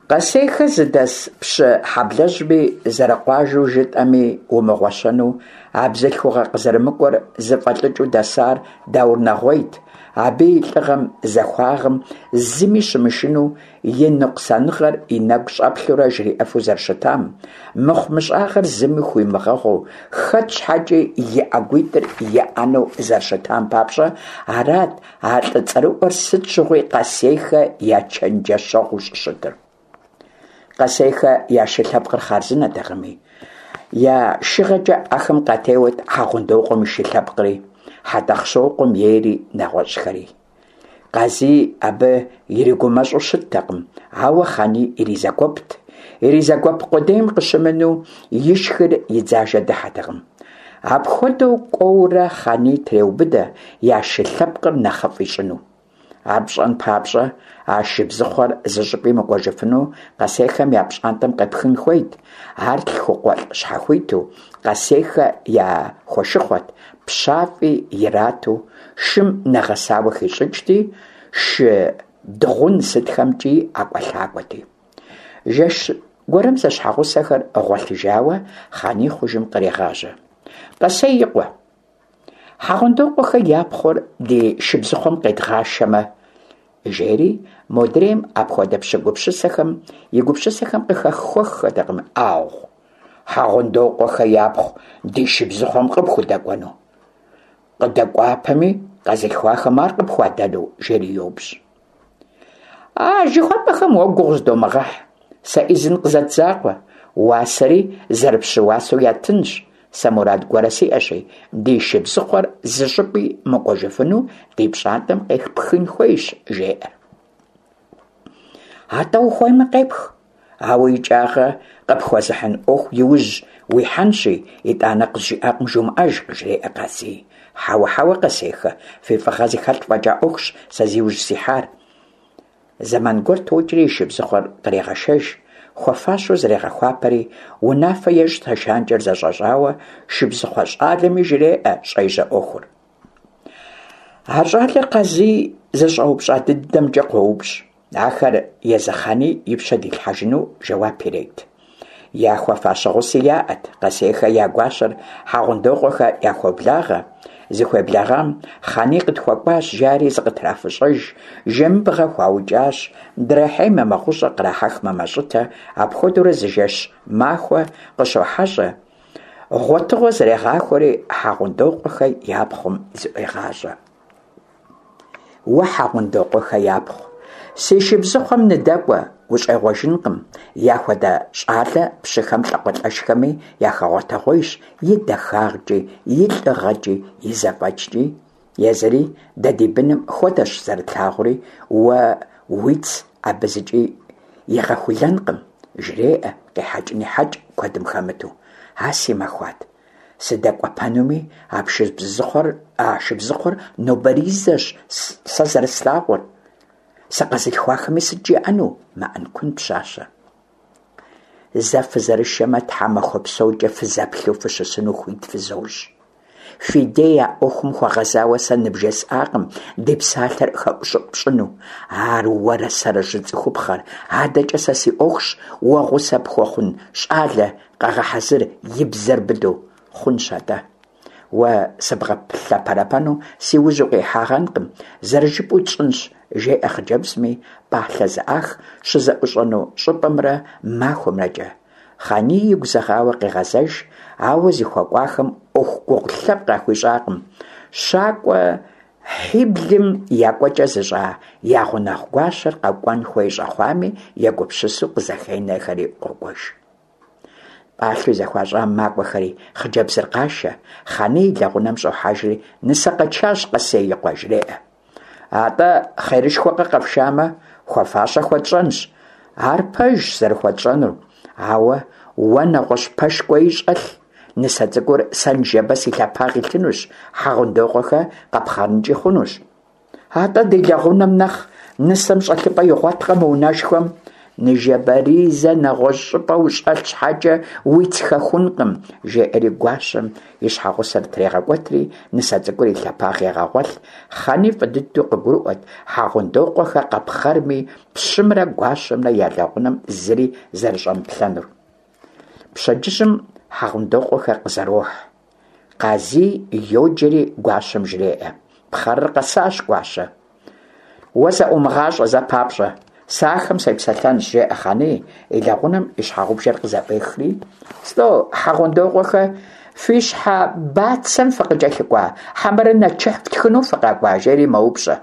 S1: Къэсейхэ зыдэс пщы хьэблэжьми зэрыкъуажэу жытӏэми умыгъуэщэну, а бзылъхугъэ къызэрымыкӏуэр зыфӏэлӏыкӏыу дэсар Даур Нэгъуейт, абы и лӏыгъэм, захуагъэм зыми щымышынэу и ныкъусаныгъэр и нэгу щӏэплъурэ жриӏэфу зэрыщытам, мыхъумыщӏагъэр зыми хуимыгъэгъуу, хэт щхьэкӏи и ӏэгуитӏыр иӏэнэу зэрыщытам папщӏэ, арат а лӏы цӏэрыӏуэр сыт щыгъуи Къэсейхэ я чэнджэщэгъуу щӏыщытыр. Къэсейхэ я шы лъэпкъыр хъарзынэтэкъыми, я шыгъэкӏэ ахэм къатеуэт Хьэгъундокъуэм и шы лъэпкъри, Хьэтӏэхъущокъуэм ейри, нэгъуэщӏхэри. Къазий абы иригумэщӏу щыттэкъым, ауэ Хъаний иризэгуэпт. Иризэгуэп къудейм къыщымынэу, ишхыр и дзажэ дыхьэтэкъым. Апхуэдэу кӏуэурэ Хъаний треубыдэ я шы лъэпкъыр нэхъыфӏ ищӏыну. Ар пщӏэн папщӏэ, а шыбзыхъуэр зыщӏыпӏи мыкӏуэжыфыну Къэсейхэм я пщӏантӏэм къепхын хуейт. Ар лъхукъуэлӏ щхьэхуиту, Къэсейхэ яхуэшыхъуэт, пщафӏи ирату, шым нэгъэсауэ хищӏыкӏти, шы дыгъун сытхэмкӏи ӏэкӏуэлъакӏуэти. Жэщ гуэрым зэщхьэгъусэхэр гъуэлъыжауэ Хъаний хъужым кърегъажьэ. Къэсей и къуэ. Хьэгъундокъуэхэ я пхъур ди шыбзыхъуэм къедгъашэмэ, жери, модрейм апхуэдэ пщы гупсысэхэм и гупсысэхэм къыхэхуэххэтэкъым, ӏагъу, Хьэгъундокъуэхэ япхъу ди шыбзыхъуэм къыпхудэкӏуэну? Къыдэкӏуапэми, къэзылъхуахэм ар къыпхуадэну? жери йоупщӏ. А жыхуэпӏэхэм уэ гугъу зыдомыгъэхь, сэ ӏизын къызэт закъуэ, уасэри зэрыпщы уасэу яттынщ, сэ мурад гуэрэ сиӏэщи, ди шыбзыхъуэр зы щӏыпӏи мыкӏуэжыфыну ди пщӏантӏэм къепхын хуейщ, жеӏэр. Атӏэ ухуеймэ къепх, ауэ икӏагъэ къыпхуэзыхьын ӏуэху иужь уихьэнщи, итӏанэ къызжиӏакъым жумыӏэж, къыжреӏэ Къазий. Хьэуэ, хьэуэ, Къэсейхэ, фи фӏыгъэ зыхэлъ фӏэкӏа ӏуэхущ сэ зи ужь сихьар. Зэман гуэр токӏри и шыбзыхъуэр кърегъэшэж, хуэфащэу зрегъэхуапэри, унафэ ещӏ тешанкӏэр зэщӏэщӏауэ, шыбзыхъуэ щӏалэми жреӏэ щӏежьэ ӏуэхур. А щӏалэр Къазий зыщӏэупщӏа дыдэмкӏэ къоупщӏ. Ахэр езы Хъаний и пщэ дилъхьэжыну жэуап ирет. Яхуэфащэ гъуси яӏэт, Къэсейхэ я гуащэр Хьэгъундокъуэхэ яхуоблагъэ. Зыхуеблэгъам Хъаний къытхуэкӏуащ, жари зыкъытрафыщӏэж, жэмыбгъэ хуаукӏащ, драхьеймэ мэгъущӏэ, кърахьэхмэ мэщӏытэ, апхуэдэурэ зы жэщ махуэ къыщохьэщӏэ. Гъуэтыгъуэ зэрегъахуэри Хьэгъундокъуэхэ я пхъум зыӏуегъащӏэ. Уэ, Хьэгъундокъуэхэ япхъу, си шыбзыхъуэм ныдэкӏуэ, ущӏегъуэжынкъым, яхуэдэ щӏалэ пщыхэм лӏакъуэлӏэшхэми яхэгъуэтэгъуейщ и дахагъкӏи, и лӏыгъэкӏи, и зэфӏэкӏкӏи. Езыри дэ ди быным хуэдэщ зэрытлъагъури, уэ уиц абы зыкӏи игъэхулэнкъым, жреӏэ, къехьэкӏ-нехьэкӏ куэдым хэмыту. А си махуат. Сыдэкӏуэпэнуми, а а шыбзыхъуэр нобэризэщ сэ зэрыслъагъур. Сыкъэзылъхуахэми сыт жаӏэну, мэӏэнкун пщащэр. Зэ фызэрышэмэ, тхьэмахуэ псокӏэ фызэплъу фыщысыну хуит фызощӏ. Фи дей а ӏуэхум хуэгъэзауэ сэ ныбжесӏакъым ди псалъэр хэӏущӏыӏу пщӏыну. Ар уэрэ сэрэщ зыцӏыхупхъэр. Адэкӏэ сэ си ӏуэхущ уэ гъусэ пхуэхъун щӏалэ къэгъэхьэзыр и бзэр быдэу. Хъунщ атӏэ. Уэ сыбгъэлъэпэрэпэну си ужь укъихьагъэнкъым, зэрыжыпӏэу тщӏынщ, жеӏэ хъыджэбзми, пӏалъэ зэӏах щызэӏущӏэну щӏыпӏэмрэ махуэмрэкӏэ. Хъаний игу зэгъауэ къегъэзэж, ауэ зыхуэкӏуахэм ӏуэху гугъу лъэпкъ яхуищӏакъым. Щакӏуэ хьиблым я кӏуэкӏэ зыщӏа я гъунэгъу гуащэр къэкӏуэн хуей щӏэхъуами егупсысу къызэхенэхэри къокӏуэж. Пӏалъэу зэхуащӏам макӏуэхэри, хъыджэбзыр къашэ, Хъаний и лэгъунэм щӏохьэжри, нысэ къэтшащ Къэсей и къуэ, жреӏэ. Атӏэ, хъерышхуэкъэ къэфшамэ, хуэфащэ хуэтщӏэнщ. Ар пэжщ зэрыхуэтщӏэнур, ауэ уэ нэгъуэщӏ пэш кӏуэи щӏэлъ, нысэ цӏыкӏур сэ ныжэбэ си лъэпагъ илъынущ, Хьэгъундокъуэхэ къэпхъэрынкӏи хъунущ. Атӏэ ди лэгъунэм нэхъ нысэм щӏэлъыпӏэ игъуэткъэ мы унэшхуэм? Ныжэбэризэ нэгъуэщӏ щӏыпӏэ ущӏэлъ щхьэкӏэ уиц хэхункъым, жеӏэри гуащэм и щхьэгъусэр трегъэкӏуэтри нысэ цӏыкӏур и лъэпагъ егъэгъуэлъ. Хъаний фӏы дыдэу къыгурыӏуэт Хьэгъундокъуэхэ къэпхъэрми, пщымрэ гуащэмрэ я лэгъунэм зыри зэрыщӏэмыплъэнур. Пщэдджыжьым Хьэгъундокъуэхэ къызэрохь. Къазий йоджэри гуащэм жреӏэ. Пхъэрыр къэсащ, гуащэ. Уэ зэӏумыгъащӏэ зэ папщӏэ. Сэ ахэм сепсэлъэнщ, жеӏэ Хъаний, и лэгъунэм и щхьэгъубжэр къызэӏуехри. Слӏо, Хьэгъундокъуэхэ, фи щхьэ бацэм фыкъыкӏэлъыкӏуа, хьэмэрэ нэчыхь фтхыну фыкъэкӏуа, жери мэупщӏэ.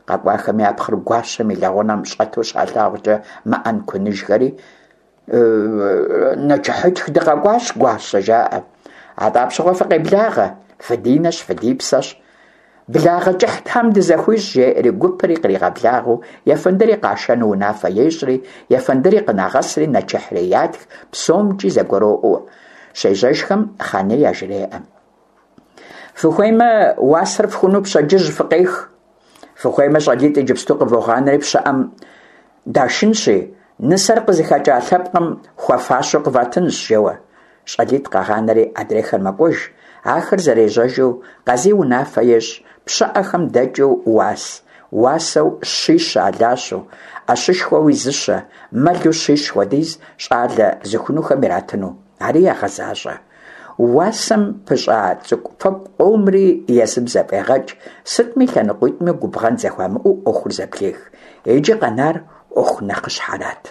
S1: Къэкӏуахэм я пхъур гуащэм и лэгъунэм щӏэту щалъагъукӏэ мэӏэнкуныжхэри, Нэчыхьытх дыкъэкӏуащ, гуащэ, жаӏэ. Атӏэ апщыгъуэ фыкъеблагъэ, фыдинэщ, фыдипсэщ. Благъэ кӏыхь Тхьэм дызэхуищӏ, жеӏэри гупри къригъэблагъэу, ефэндыри къашэну унафэ ещӏри, ефэндыри къынагъэсри нэчыхьри ятх, псомкӏи зэгуроӏуэ. Щежьэжхэм Хъаний яжреӏэ. Фыхуеймэ, уасэр фхуну пщэдджыжь фыкъех. Фыхуеймэ, щӏалитӏ иджыпсту къывогъанэри пщыӏэм дашынщи, нысэр къызыхэкӏа лъэпкъым хуэфащэу къыватынщ, жэуэ. Щӏалитӏ къагъанэри адрейхэр мэкӏуэж. Ахэр зэрежьэжу Къазий унафэ ещӏ, пщыӏэхэм дэкӏыу уас, уасэу щищэ алащэу, ӏэщышхуэуи зыщэ, мэлу щищ хуэдиз щӏалэ зыхунухэм иратыну. Ари ягъэзащӏэ. Уасэм пыщӏа цӏыкӏу-фэкӏу къомри езым зэфӏегъэкӏ, сытми лъэныкъуитӏми губгъэн зэхуамыӏэу ӏуэхур зэблех. Иджы къэнар ӏуэху нэхъыщхьэрат.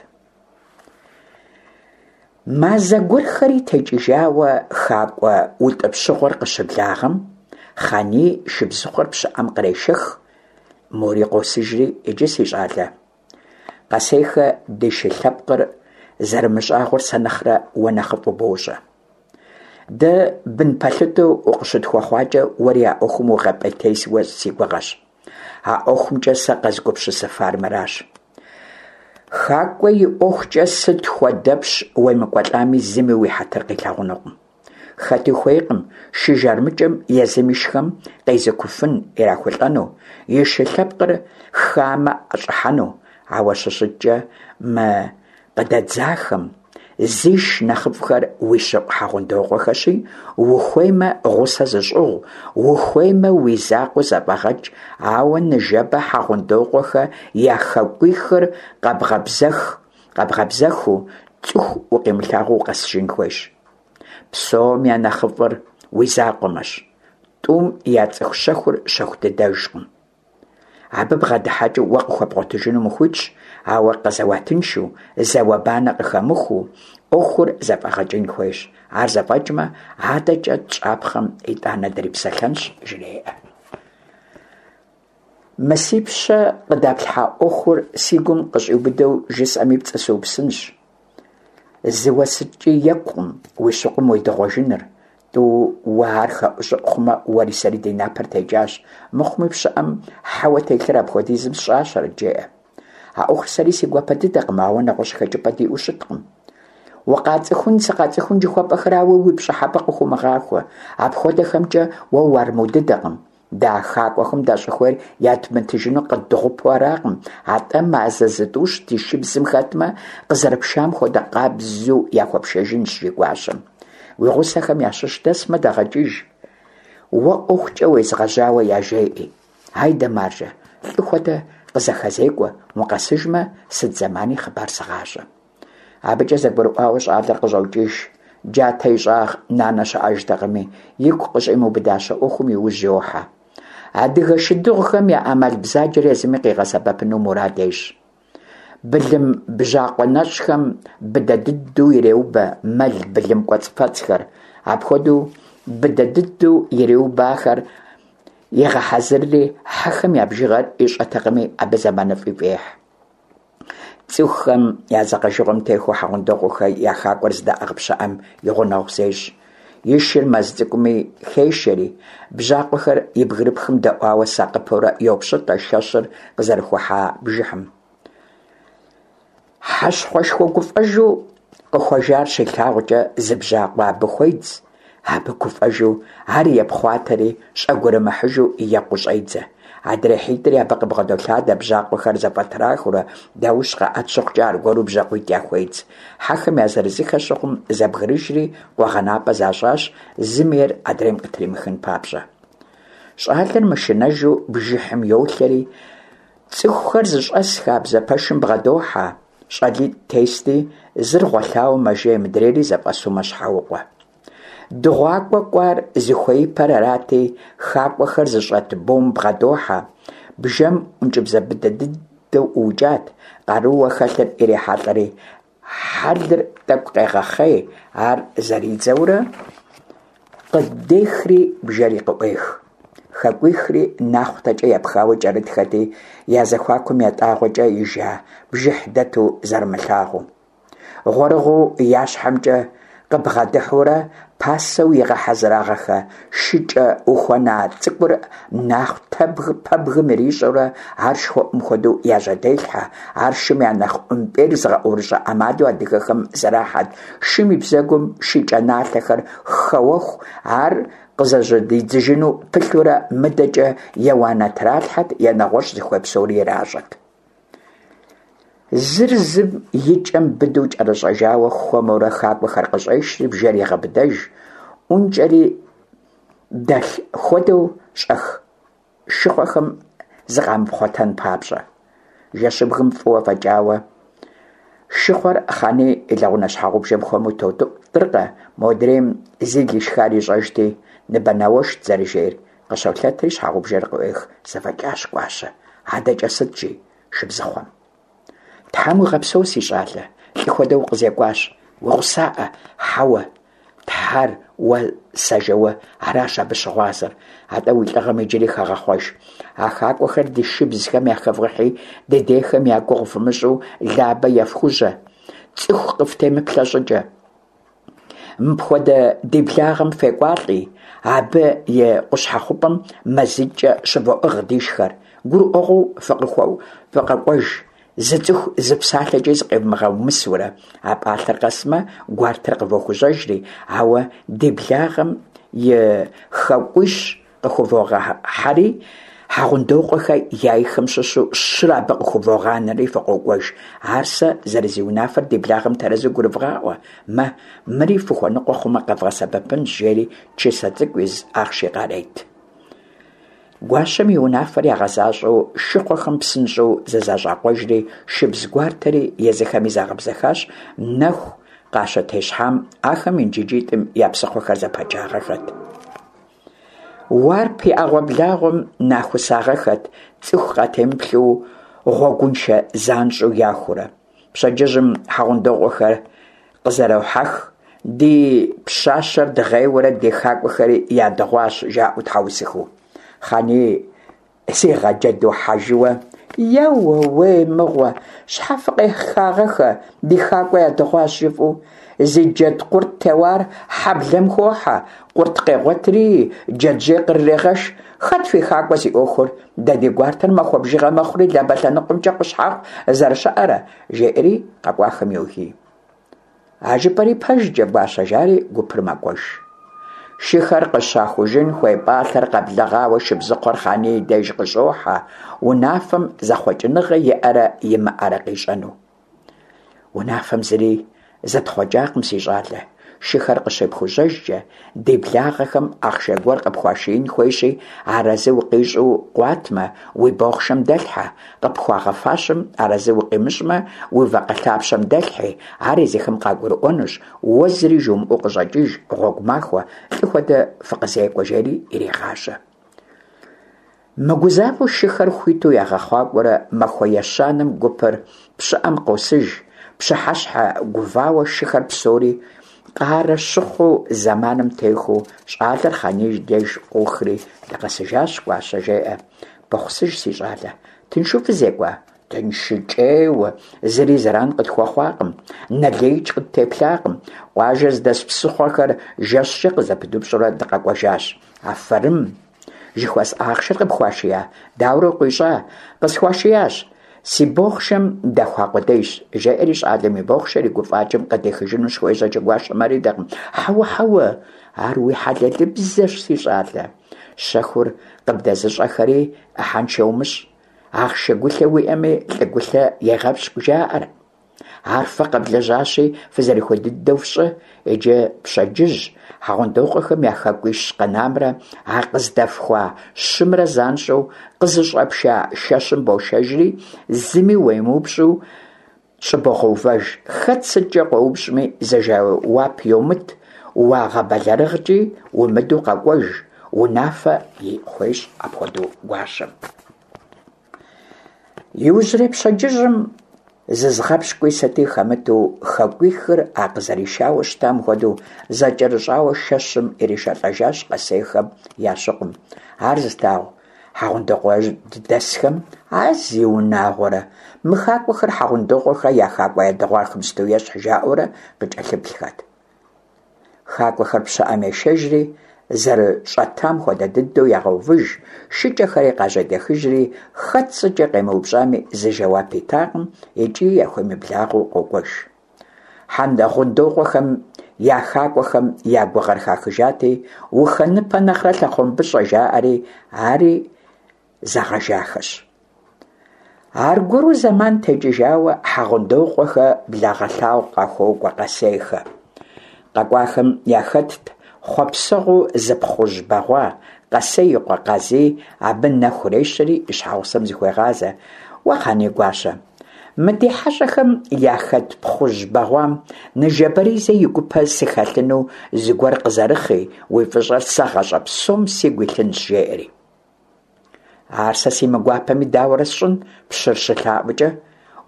S1: Мазэ гуэрхэри текӏыжауэ хакӏуэ утӏыпщыгъуэр къыщыблагъэм, Хъаний шыбзыхъуэр пщыӏэм кърешэх, мори къосыжри, иджы си щӏалэ. Къэсейхэ ди шы лъэпкъыр зэрымыщӏагъуэр сэ нэхърэ уэ нэхъыфӏу бощӏэ. Дэ бын пэлъытэу укъыщытхуэхъуакӏэ, уэри а ӏуэхум угъэпӏейтейуэ си гугъэщ. А ӏуэхумкӏэ сэ къэзгупсысыфар мыращ. Хакӏуэ и ӏуэхукӏэ сыт хуэдэпщ уемыкӏуэлӏами, зыми уи хьэтыр къилъагъунукъым. Хэти хуейкъым шы жармыкӏэм езым ишхэм къезыкуфын ирахулӏэну, и шы лъэпкъыр хамэ ӏэщӏыхьэну, ауэ щыщыткӏэ мы къыдэдзахэм зиш нэхъыфӏхэр уи щыкъу Хьэгъундокъуэхэщи, ухуеймэ гъусэ зыщӏыгъу, ухуеймэ уи закъуэу зэфӏэгъэкӏ, ауэ ныжэбэ Хьэгъундокъуэхэ я хакӏуихыр къэбгъэбзэхыу, цӏыху укъимылъагъуу укъэсыжын хуейщ. Псом я нэхъыфӏыр уи закъуэмэщ. Тӏум я цӏыху щэхур щэху дыдэжкъым. Абы бгъэдыхьэкӏэу уэ къыхуэбгъуэтыжынум ухуитщ, ауэ къэзэуатыншэу, зауэ-банэ къыхэмыхуу, ӏуэхур зэфӏэгъэкӏын хуейщ. Ар зэфӏэкӏмэ, адэкӏэ тщӏапхъэм итӏанэ дрипсэлъэнщ, жреӏэ. Мы си пщэ къыдэплъхьа ӏуэхур си гум къыщӏиубыдэу жысӏэми пцӏы сыупсынщ. Зыуэ сыткӏи екӏукъым уи щыкъум уедыгъуэжыныр. Тӏууэ ар хэӏущӏыӏу хъумэ, уэри сэри ди напэр текӏащ. Мыхъуми пщыӏэм хьэуэ телъыр апхуэдизым сщӏащэрэт, жеӏэ. А ӏуэхур сэри си гуапэ дыдэкъым, ауэ нэгъуэщӏ хэкӏыпӏэ диӏэу щыткъым. Укъацӏыхун, сыкъацӏыхун жыхуэпӏэхэр ауэ уи пщӏыхьэпӏэ къыхыумыгъахуэ. Апхуэдэхэмкӏэ уэ уарму дыдэкъым. Дэ а хакӏуэхэм дащӏыхуейр ядмытыжыну къыддыгъупэу аракъым, атӏэ мазэ зытӏущ ди шыбзым хэтмэ, къызэрыпшам хуэдэ къабзэу яхуэпшэжынщ, жи гуащэм. Уи гъусэхэм ящыщ дэсмэ, дэгъэкӏыж. Уэ ӏуэхукӏэ уезгъэжьауэ яжеӏи. Айдэ, маржэ, лӏы хуэдэ къызэхэзекӏуэ, укъэсыжмэ, сыт зэмани хъыбар сыгъащӏэ. Абыкӏэ зэгурыӏуауэ щӏалэр къыщӏокӏыж. Джатэ и щӏагъ нанэ щыӏэжтэкъыми, игу къыщӏимыубыдащэ ӏуэхум и ужь йохьэ. Адыгэ шыдыгъухэм я ӏэмал бзаджэр езыми къигъэсэбэпыну мурад ещӏ. Былым бжьакъуэ нэщӏхэм быдэ дыдэу иреубэ мэл былым кӏуэцӏфэцӏхэр. Апхуэдэу быдэ дыдэу иреубэ ахэр егъэхьэзырри, хьэхэм я бжыгъэр ищӏэтэкъыми, абы зэманыфӏи фӏехь. Цӏыхухэм я дзэкъэжыгъуэм техуэу Хьэгъундокъуэхэ я хакӏуэр зыдаӏыгъ пщыӏэм и гъунэгъу зещӏ. И шыр мэз цӏыкӏуми хешэри, бжьакъуэхэр и бгырыпхым дэӏуауэ сакъыпэурэ йопщӏытӏэ шэщыр къызэрыхухьа бжыхьым. Хьэщхъуэшхуэ гуфӏэжу къыхуэжар щилъагъукӏэ зы бжьакъуэ абы хуедз, Абы гуфӏэжу ар епхъуатэри, щӏэгурымыхьыжу екъуу щӏедзэ. Адрей хьитӏри абы къыбгъэдолъадэ, бжьакъуэхэр зэфӏэтрахыурэ, даущ къаӏэт щыхъукӏэ аргуэру бжьакъуитӏ яхуедз. Хьэхэм я зырызыххэ щыхъум, зэбгрыжри, къуэгъэнапӏэ защӏащ, зым ейр адрейм къытримыхын папщӏэ. Щӏалэр мышынэжу бжыхьым йолъэри, цӏыхухэр зыщӏэс хабзэ пэшым бгъэдохьэ. Щӏалитӏ тести, зыр гъуэлъауэ мэжей, мыдрейри зэфӏэсу мэщхьэукъуэ. Дыгъуакӏуэ кӏуар зыхуеипэр арати, хакӏуэхэр зыщӏэт бом бгъэдохьэ. Бжэм ӏункӏыбзэ быдэ дыдэу ӏуукӏат, къарууэ хэлъыр ирехьэлӏэри, хьэлыр тӏэкӏу къегъэхъей, ар зэридзэурэ къыдехри бжэри къыӏуех. Хакӏуихри нахъутэкӏэ епхауэ кӏэрытхэти, я зэхуакум ятӏагъуэкӏэ ижа бжыхь дэту зэрымылъагъуу. Гъуэрыгъуэу я щхьэмкӏэ къыбгъэдыхьэурэ, пасэу игъэхьэзырагъэхэ шыкӏэ ухуэна цӏыкӏур нахъутэбг пэбгым ирищӏэурэ, ар шхуэӏум хуэдэу яжьэделъхьэ. Ар шым я нэхъ ӏумпӏейр зыгъэӏурыщӏэ ӏэмалу адыгэхэм зэрахьэт. Шым и бзэгум шыкӏэ налъэхэр хэуэху, ар къызэжьэдидзыжыну пылъурэ, мыдэкӏэ е уанэ тралъхьэт, е нэгъуэщӏ зыхуей псори иращӏэт. Зыр зым и кӏэм быдэу кӏэрыщӏэжауэ хуэмурэ хакӏуэхэр къыщӏешри бжэр егъэбыдэж, ӏункӏэри дэлъ хуэдэу щӏэх шыхъуэхэм зыкъамыпхъуэтэн папщӏэ. Жэщыбгым фӏыуэ фӏэкӏауэ, шыхъуэр Хъаний и лэгъунэ щхьэгъубжэм хуэму тотӏыркъэ, модрейм зил ишхар ищӏэжти, ныбэнауэшт зэрыжейр, къыщолъэтри щхьэгъубжэр къыӏуех, зэфӏэкӏащ, Гуащэ, адэкӏэ сыт, жи шыбзыхъуэм. Тхьэм уигъэпсэу, си щӏалэ, лӏы хуэдэу укъызекӏуащ, уигъусаӏэ, хьэуэ, Тхьэр уэ сэ жэуэ аращ абы щыгъуазэр, атӏэ уи лӏыгъэм иджыри хэгъэхъуэж. А хакӏуэхэр ди шыбзхэм яхэвгъыхьи, дыдейхэм я гугъу фымыщӏу Лабэ ефхужьэ, цӏыху къыфтемыплъэ щӏыкӏэ. Мыпхуэдэ ди благъэм фекӏуалӏи, абы и къущхьэхъупӏэм мазитӏкӏэ щывоӏыгъ дишхэр. Гурыӏуэгъуэу фыкъэкӏуэж, зы цӏыху зы псалъэкӏи зыкъевмыгъэумысурэ. А пӏалъэр къэсмэ, гуартэр къывохужьэжри, ауэ ди благъэм и хакӏуищ къыхувогъэхьэри, Хьэгъундокъуэхэ яйхэм щыщу щыр абы къыхувогъанэри фыкъокӏуэж. Ар сэ зэрызиунафэр ди благъэм тэрэзу гурывгъаӏуэ, мэ, мыри фыхуэныкъуэ хъумэ къэвгъэсэбэпынщ, жери чысэ цӏыкӏу из ахъши къарет. Гуащэм и унафэр ягъэзащӏэу шыхъуэхэм псынщӏэу зызэщӏакъуэжри, шыбз гуартэри езыхэми загъэбзэхащ, нэху къащытещхьам ахэм инжыджитӏым я псыхъуэхэр зэпачагъэхэт. Уарп и ӏэгъуэблагъуэм нахусагъэхэт, цӏыху къатемыплъэу гъуэгуншэ занщӏэу яхурэ. Пщэдджыжьым Хьэгъундокъуэхэр къызэрохьэх, ди пщащэр дгъейуэрэ ди хакӏуэхэри ядыгъуащ, жаӏэу тхьэусыхэу. Хъаний зигъэджэду хьэжыуэ, Еууей мыгъуэ, щхьэ фыкъехагъэхэ, ди хакӏуэ ядыгъуащ жыфӏэу? Зи джэд къурт теуар хьэблэм хохьэ, къурт къегъуэтри, джэджьей кърырегъэш. Хэт фи хакӏуэ зи ӏуэхур? Дэ ди гуартэр махуэ бжыгъэ мэхъури Лабэ лъэныкъуэмкӏэ къущхьэхъу зэрыщыӏэрэ? жеӏэри къэкӏуахэм йогий. А жыпӏэри пэжкӏэ, Гуащэ, жари гупыр мэкӏуэж. Шыхэр къыщахужын хуей пӏалъэр къэблэгъауэ шыбзыхъуэр Хъаний и деж къыщӏохьэ, унафэм зэхъуэкӏыныгъэ иӏэрэ имыӏэрэ къищӏэну. Унафэм зыри зэтхъуэкӏакъым, си щӏалэ. Шыхэр къыщепхужьэжкӏэ, ди благъэхэм ахъшэ гуэр къыпхуашиин хуейщи, арэзы укъищӏу къуатмэ, уи бохъшэм дэлъхьэ, къыпхуагъэфащэм арэзы укъимыщӏмэ, уи вакъэ лъапщэм дэлъхьи, ар езыхэм къагурыӏуэнущ, уэ зыри жумыӏэу къыщӏэкӏыж, гъуэгу махуэ, лӏы хуэдэ фыкъызекӏуэ, жери ирегъажьэ. Мыгузавэу шыхэр хуиту ягъэхъуакӏуэрэ махуэ ещанэм гупыр пщыӏэм къосыж, пщыхьэщхьэ гувауэ шыхэр псори къарэ щыхъу зэманым техуэу щӏалэр Хъаний деж къохри, дыкъэсыжащ, Гуащэ, жеӏэ. Бэхъусыж, си щӏалэ, тыншу фызекӏуа? Тыншыкӏейуэ, зыри зэран къытхуэхъуакъым, нэ леикӏ къыттеплъакъым. Къуажэ зыдэс псыхъуэхэр жэщкӏэ къызэпыдупщӏурэ дыкъэкӏуэжащ. Афэрым! Жыхуэсӏа ахъшэр къыпхуашия? Дауэрэ укъищӏа? Къысхуашиящ. Си бохъшэм дэхуа къудейщ, жеӏэри щӏалэм и бохъшэр и гуфӏакӏэм къыдихыжыну щыхуежьэкӏэ гуащэм ар идэкъым. Хьэуэ, хьэуэ, ар уи хьэлэлыбзэщ, си щӏалэ. Щэхур къыбдэзыщӏэхэри ӏыхьэншэ умыщӏ. Ахъшэ гулъэ уиӏэми, лӏы гулъэ егъэпщкӏу жаӏэр. Ар фэ къэвлэжьащи, фызэрыхуей дыдэу фщӏы. Иджы пщэдджыжь Хьэгъундокъуэхэм я хакӏуищ къэнамрэ а къыздэфхуа щымрэ занщӏэу къызыщӏэпша шэщым бошэжри, зыми уемыупщӏу щӏыбогъэувэж. Хэт сыткӏэ къоупщӏми, зы жэуап йомыт, уагъэбэлэрыгъкӏи умыдэу къэкӏуэж, унафэ хуещӏ апхуэдэу гуащэм. Иужьрей пщэдджыжьым зызгъэпщкӏуи сыти хэмыту хакӏуихыр а къызэришауэ щытам хуэдэу зэкӏэрыщӏауэ шэщым иришэлӏэжащ Къэсейхэм я щыкъум. Ар зылъагъу хьэгъундокъуэдэсхэм, А зиунагъуэрэ, мы хакӏуэхэр Хьэгъундокъуэхэ я хакӏуэ ядыгъуахэм сыту ещхь, жаӏэурэ къыкӏэлъыплъхэт. Хакӏуэхэр пщыӏэм ешэжри, зэрыщӏэтам хуэдэ дыдэу ягъэувыж, шыкӏэхэри къажьэдэхыжри, хэт сыткӏэ къемыупщӏами, зы жэуап итакъым икӏи яхуемыблагъэу къокӏуэж. Хьэгъундокъуэхэм я хакӏуэхэм я гугъэр хахыжати, ухэныпэ нэхърэ лъэхъуэмбыщӏэ жаӏэри, ари зэгъэжахэщ. Аргуэру зэман текӏыжауэ Хьэгъундокъуэхэ благъэлъагъу къахуокӏуэ Къэсейхэ. Къэкӏуахэм яхэтт хъуэпсэгъуэу зы пхъужь бэгъуа, Къэсей и къуэ Къазий абы нэ хурещэри и щхьэгъусэм зыхуегъазэ: Уэ, Хъаний гуащэ, мы ди хьэщӏэхэм яхэт пхъужь бэгъуам ныжэбэризэ и гупэ сыхэлъыну зыгуэр къызэрыхъи, уи фӏыщӏэр сэ гъащӏэ псом сигу илъынщ, жеӏэри. Ар сэ симыгуапэми дауэрэ сщӏын, пщыр щылъаӏуэкӏэ?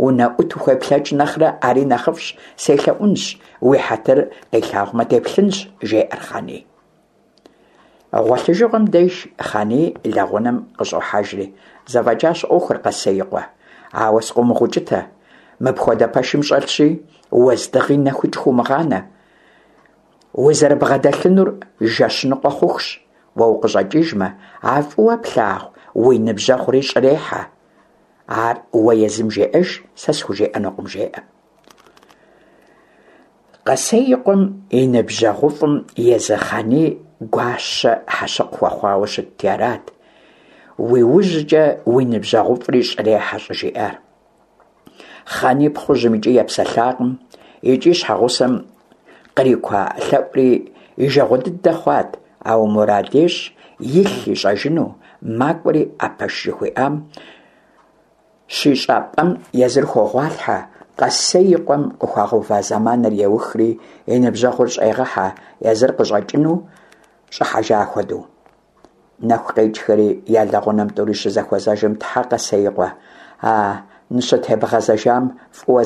S1: Унэӏут ухуеплъэкӏ нэхърэ ари нэхъыфӏщ, селъэӏунщ, уи хьэтыр къилъагъумэ деплъынщ, жеӏэр Хъаний. Гъуэлъыжыгъуэм деж Хъаний лэгъунэм къыщӏохьэжри, зэфӏэкӏащ ӏуэхур, Къэсей и къуэ. Ауэ сыкъыумыгъэукӏытэ. Мыпхуэдэ пэшым щӏэлъщи, уэздыгъи нэхукӏ хыумыгъанэ. Узэрыбгъэдэлъынур жэщ ныкъуэ хъухущ. Уэ укъыщӏэкӏыжмэ, а фӏыуэ плъагъу уи ныбжьэгъури щӏрехьэ. Ар уэ езым жеӏэж, сэ схужеӏэнукъым, жеӏэ. Къэсей и къуэм и ныбжьэгъуфӏым езы Хъаний гуащэ хьэщыкъ хуэхъуауэ щытти арат, уи ужькӏэ уи ныбжьэгъуфӏри щӏрехьэ щӏыжиӏар. Хъаний пхъужьым икӏи епсэлъакъым, икӏи щхьэгъусэм кърикуа лъэӏури и жагъуэ дыдэ хъуат, ауэ мурад ещӏ илъ ищӏэжыну, макӏуэри а пэш жыхуиӏам щищӏа пӏэм езыр хогъуалъхьэ, Къэсей и къуэм къыхуагъэува зэманыр еухри, и ныбжьэгъур щӏегъэхьэ, езыр къыщӏэкӏыну щӏыхьэжа хуэдэу. Нэху къекӏхэри я лэгъунэм тӏури щызэхуэзэжым, Тхьэ, Къэсей и къуэ, а ныщытебгъэзэжам фӏыуэ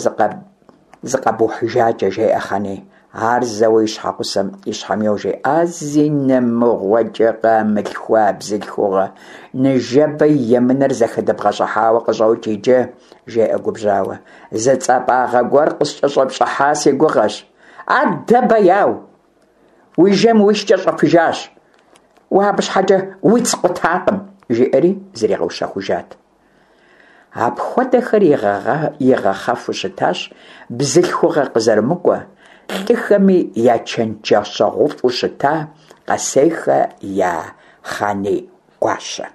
S1: зыкъэбухьыжакӏэ, жеӏэ Хъаний. Ар зэуэ и щхьэгъусэм и щхьэм йожри, А зинэ мыгъуэкӏэ къамылъхуа бзылъхугъэ, ныжэбэ емынэр зэхыдыбгъэщӏыхьауэ къыщӏокӏ иджы, жеӏэ губжьауэ. Зы цӏапӏагъэ гуэр къыскӏэщӏэпщӏыхьа си гугъэщ. Адэ бэяу! Уи жэм уи шкӏэ щӏэфыжащ. Уэ абы щхьэкӏэ уиц къутакъым, жиӏэри зригъэущэхужат. Апхуэдэхэр игъэхъэфу щытащ бзылъхугъэ къызэрымыкӏуэ, лӏыхэми я чэнджэщэгъуфӏу щыта Къэсейхэ я Хъаний гуащэ.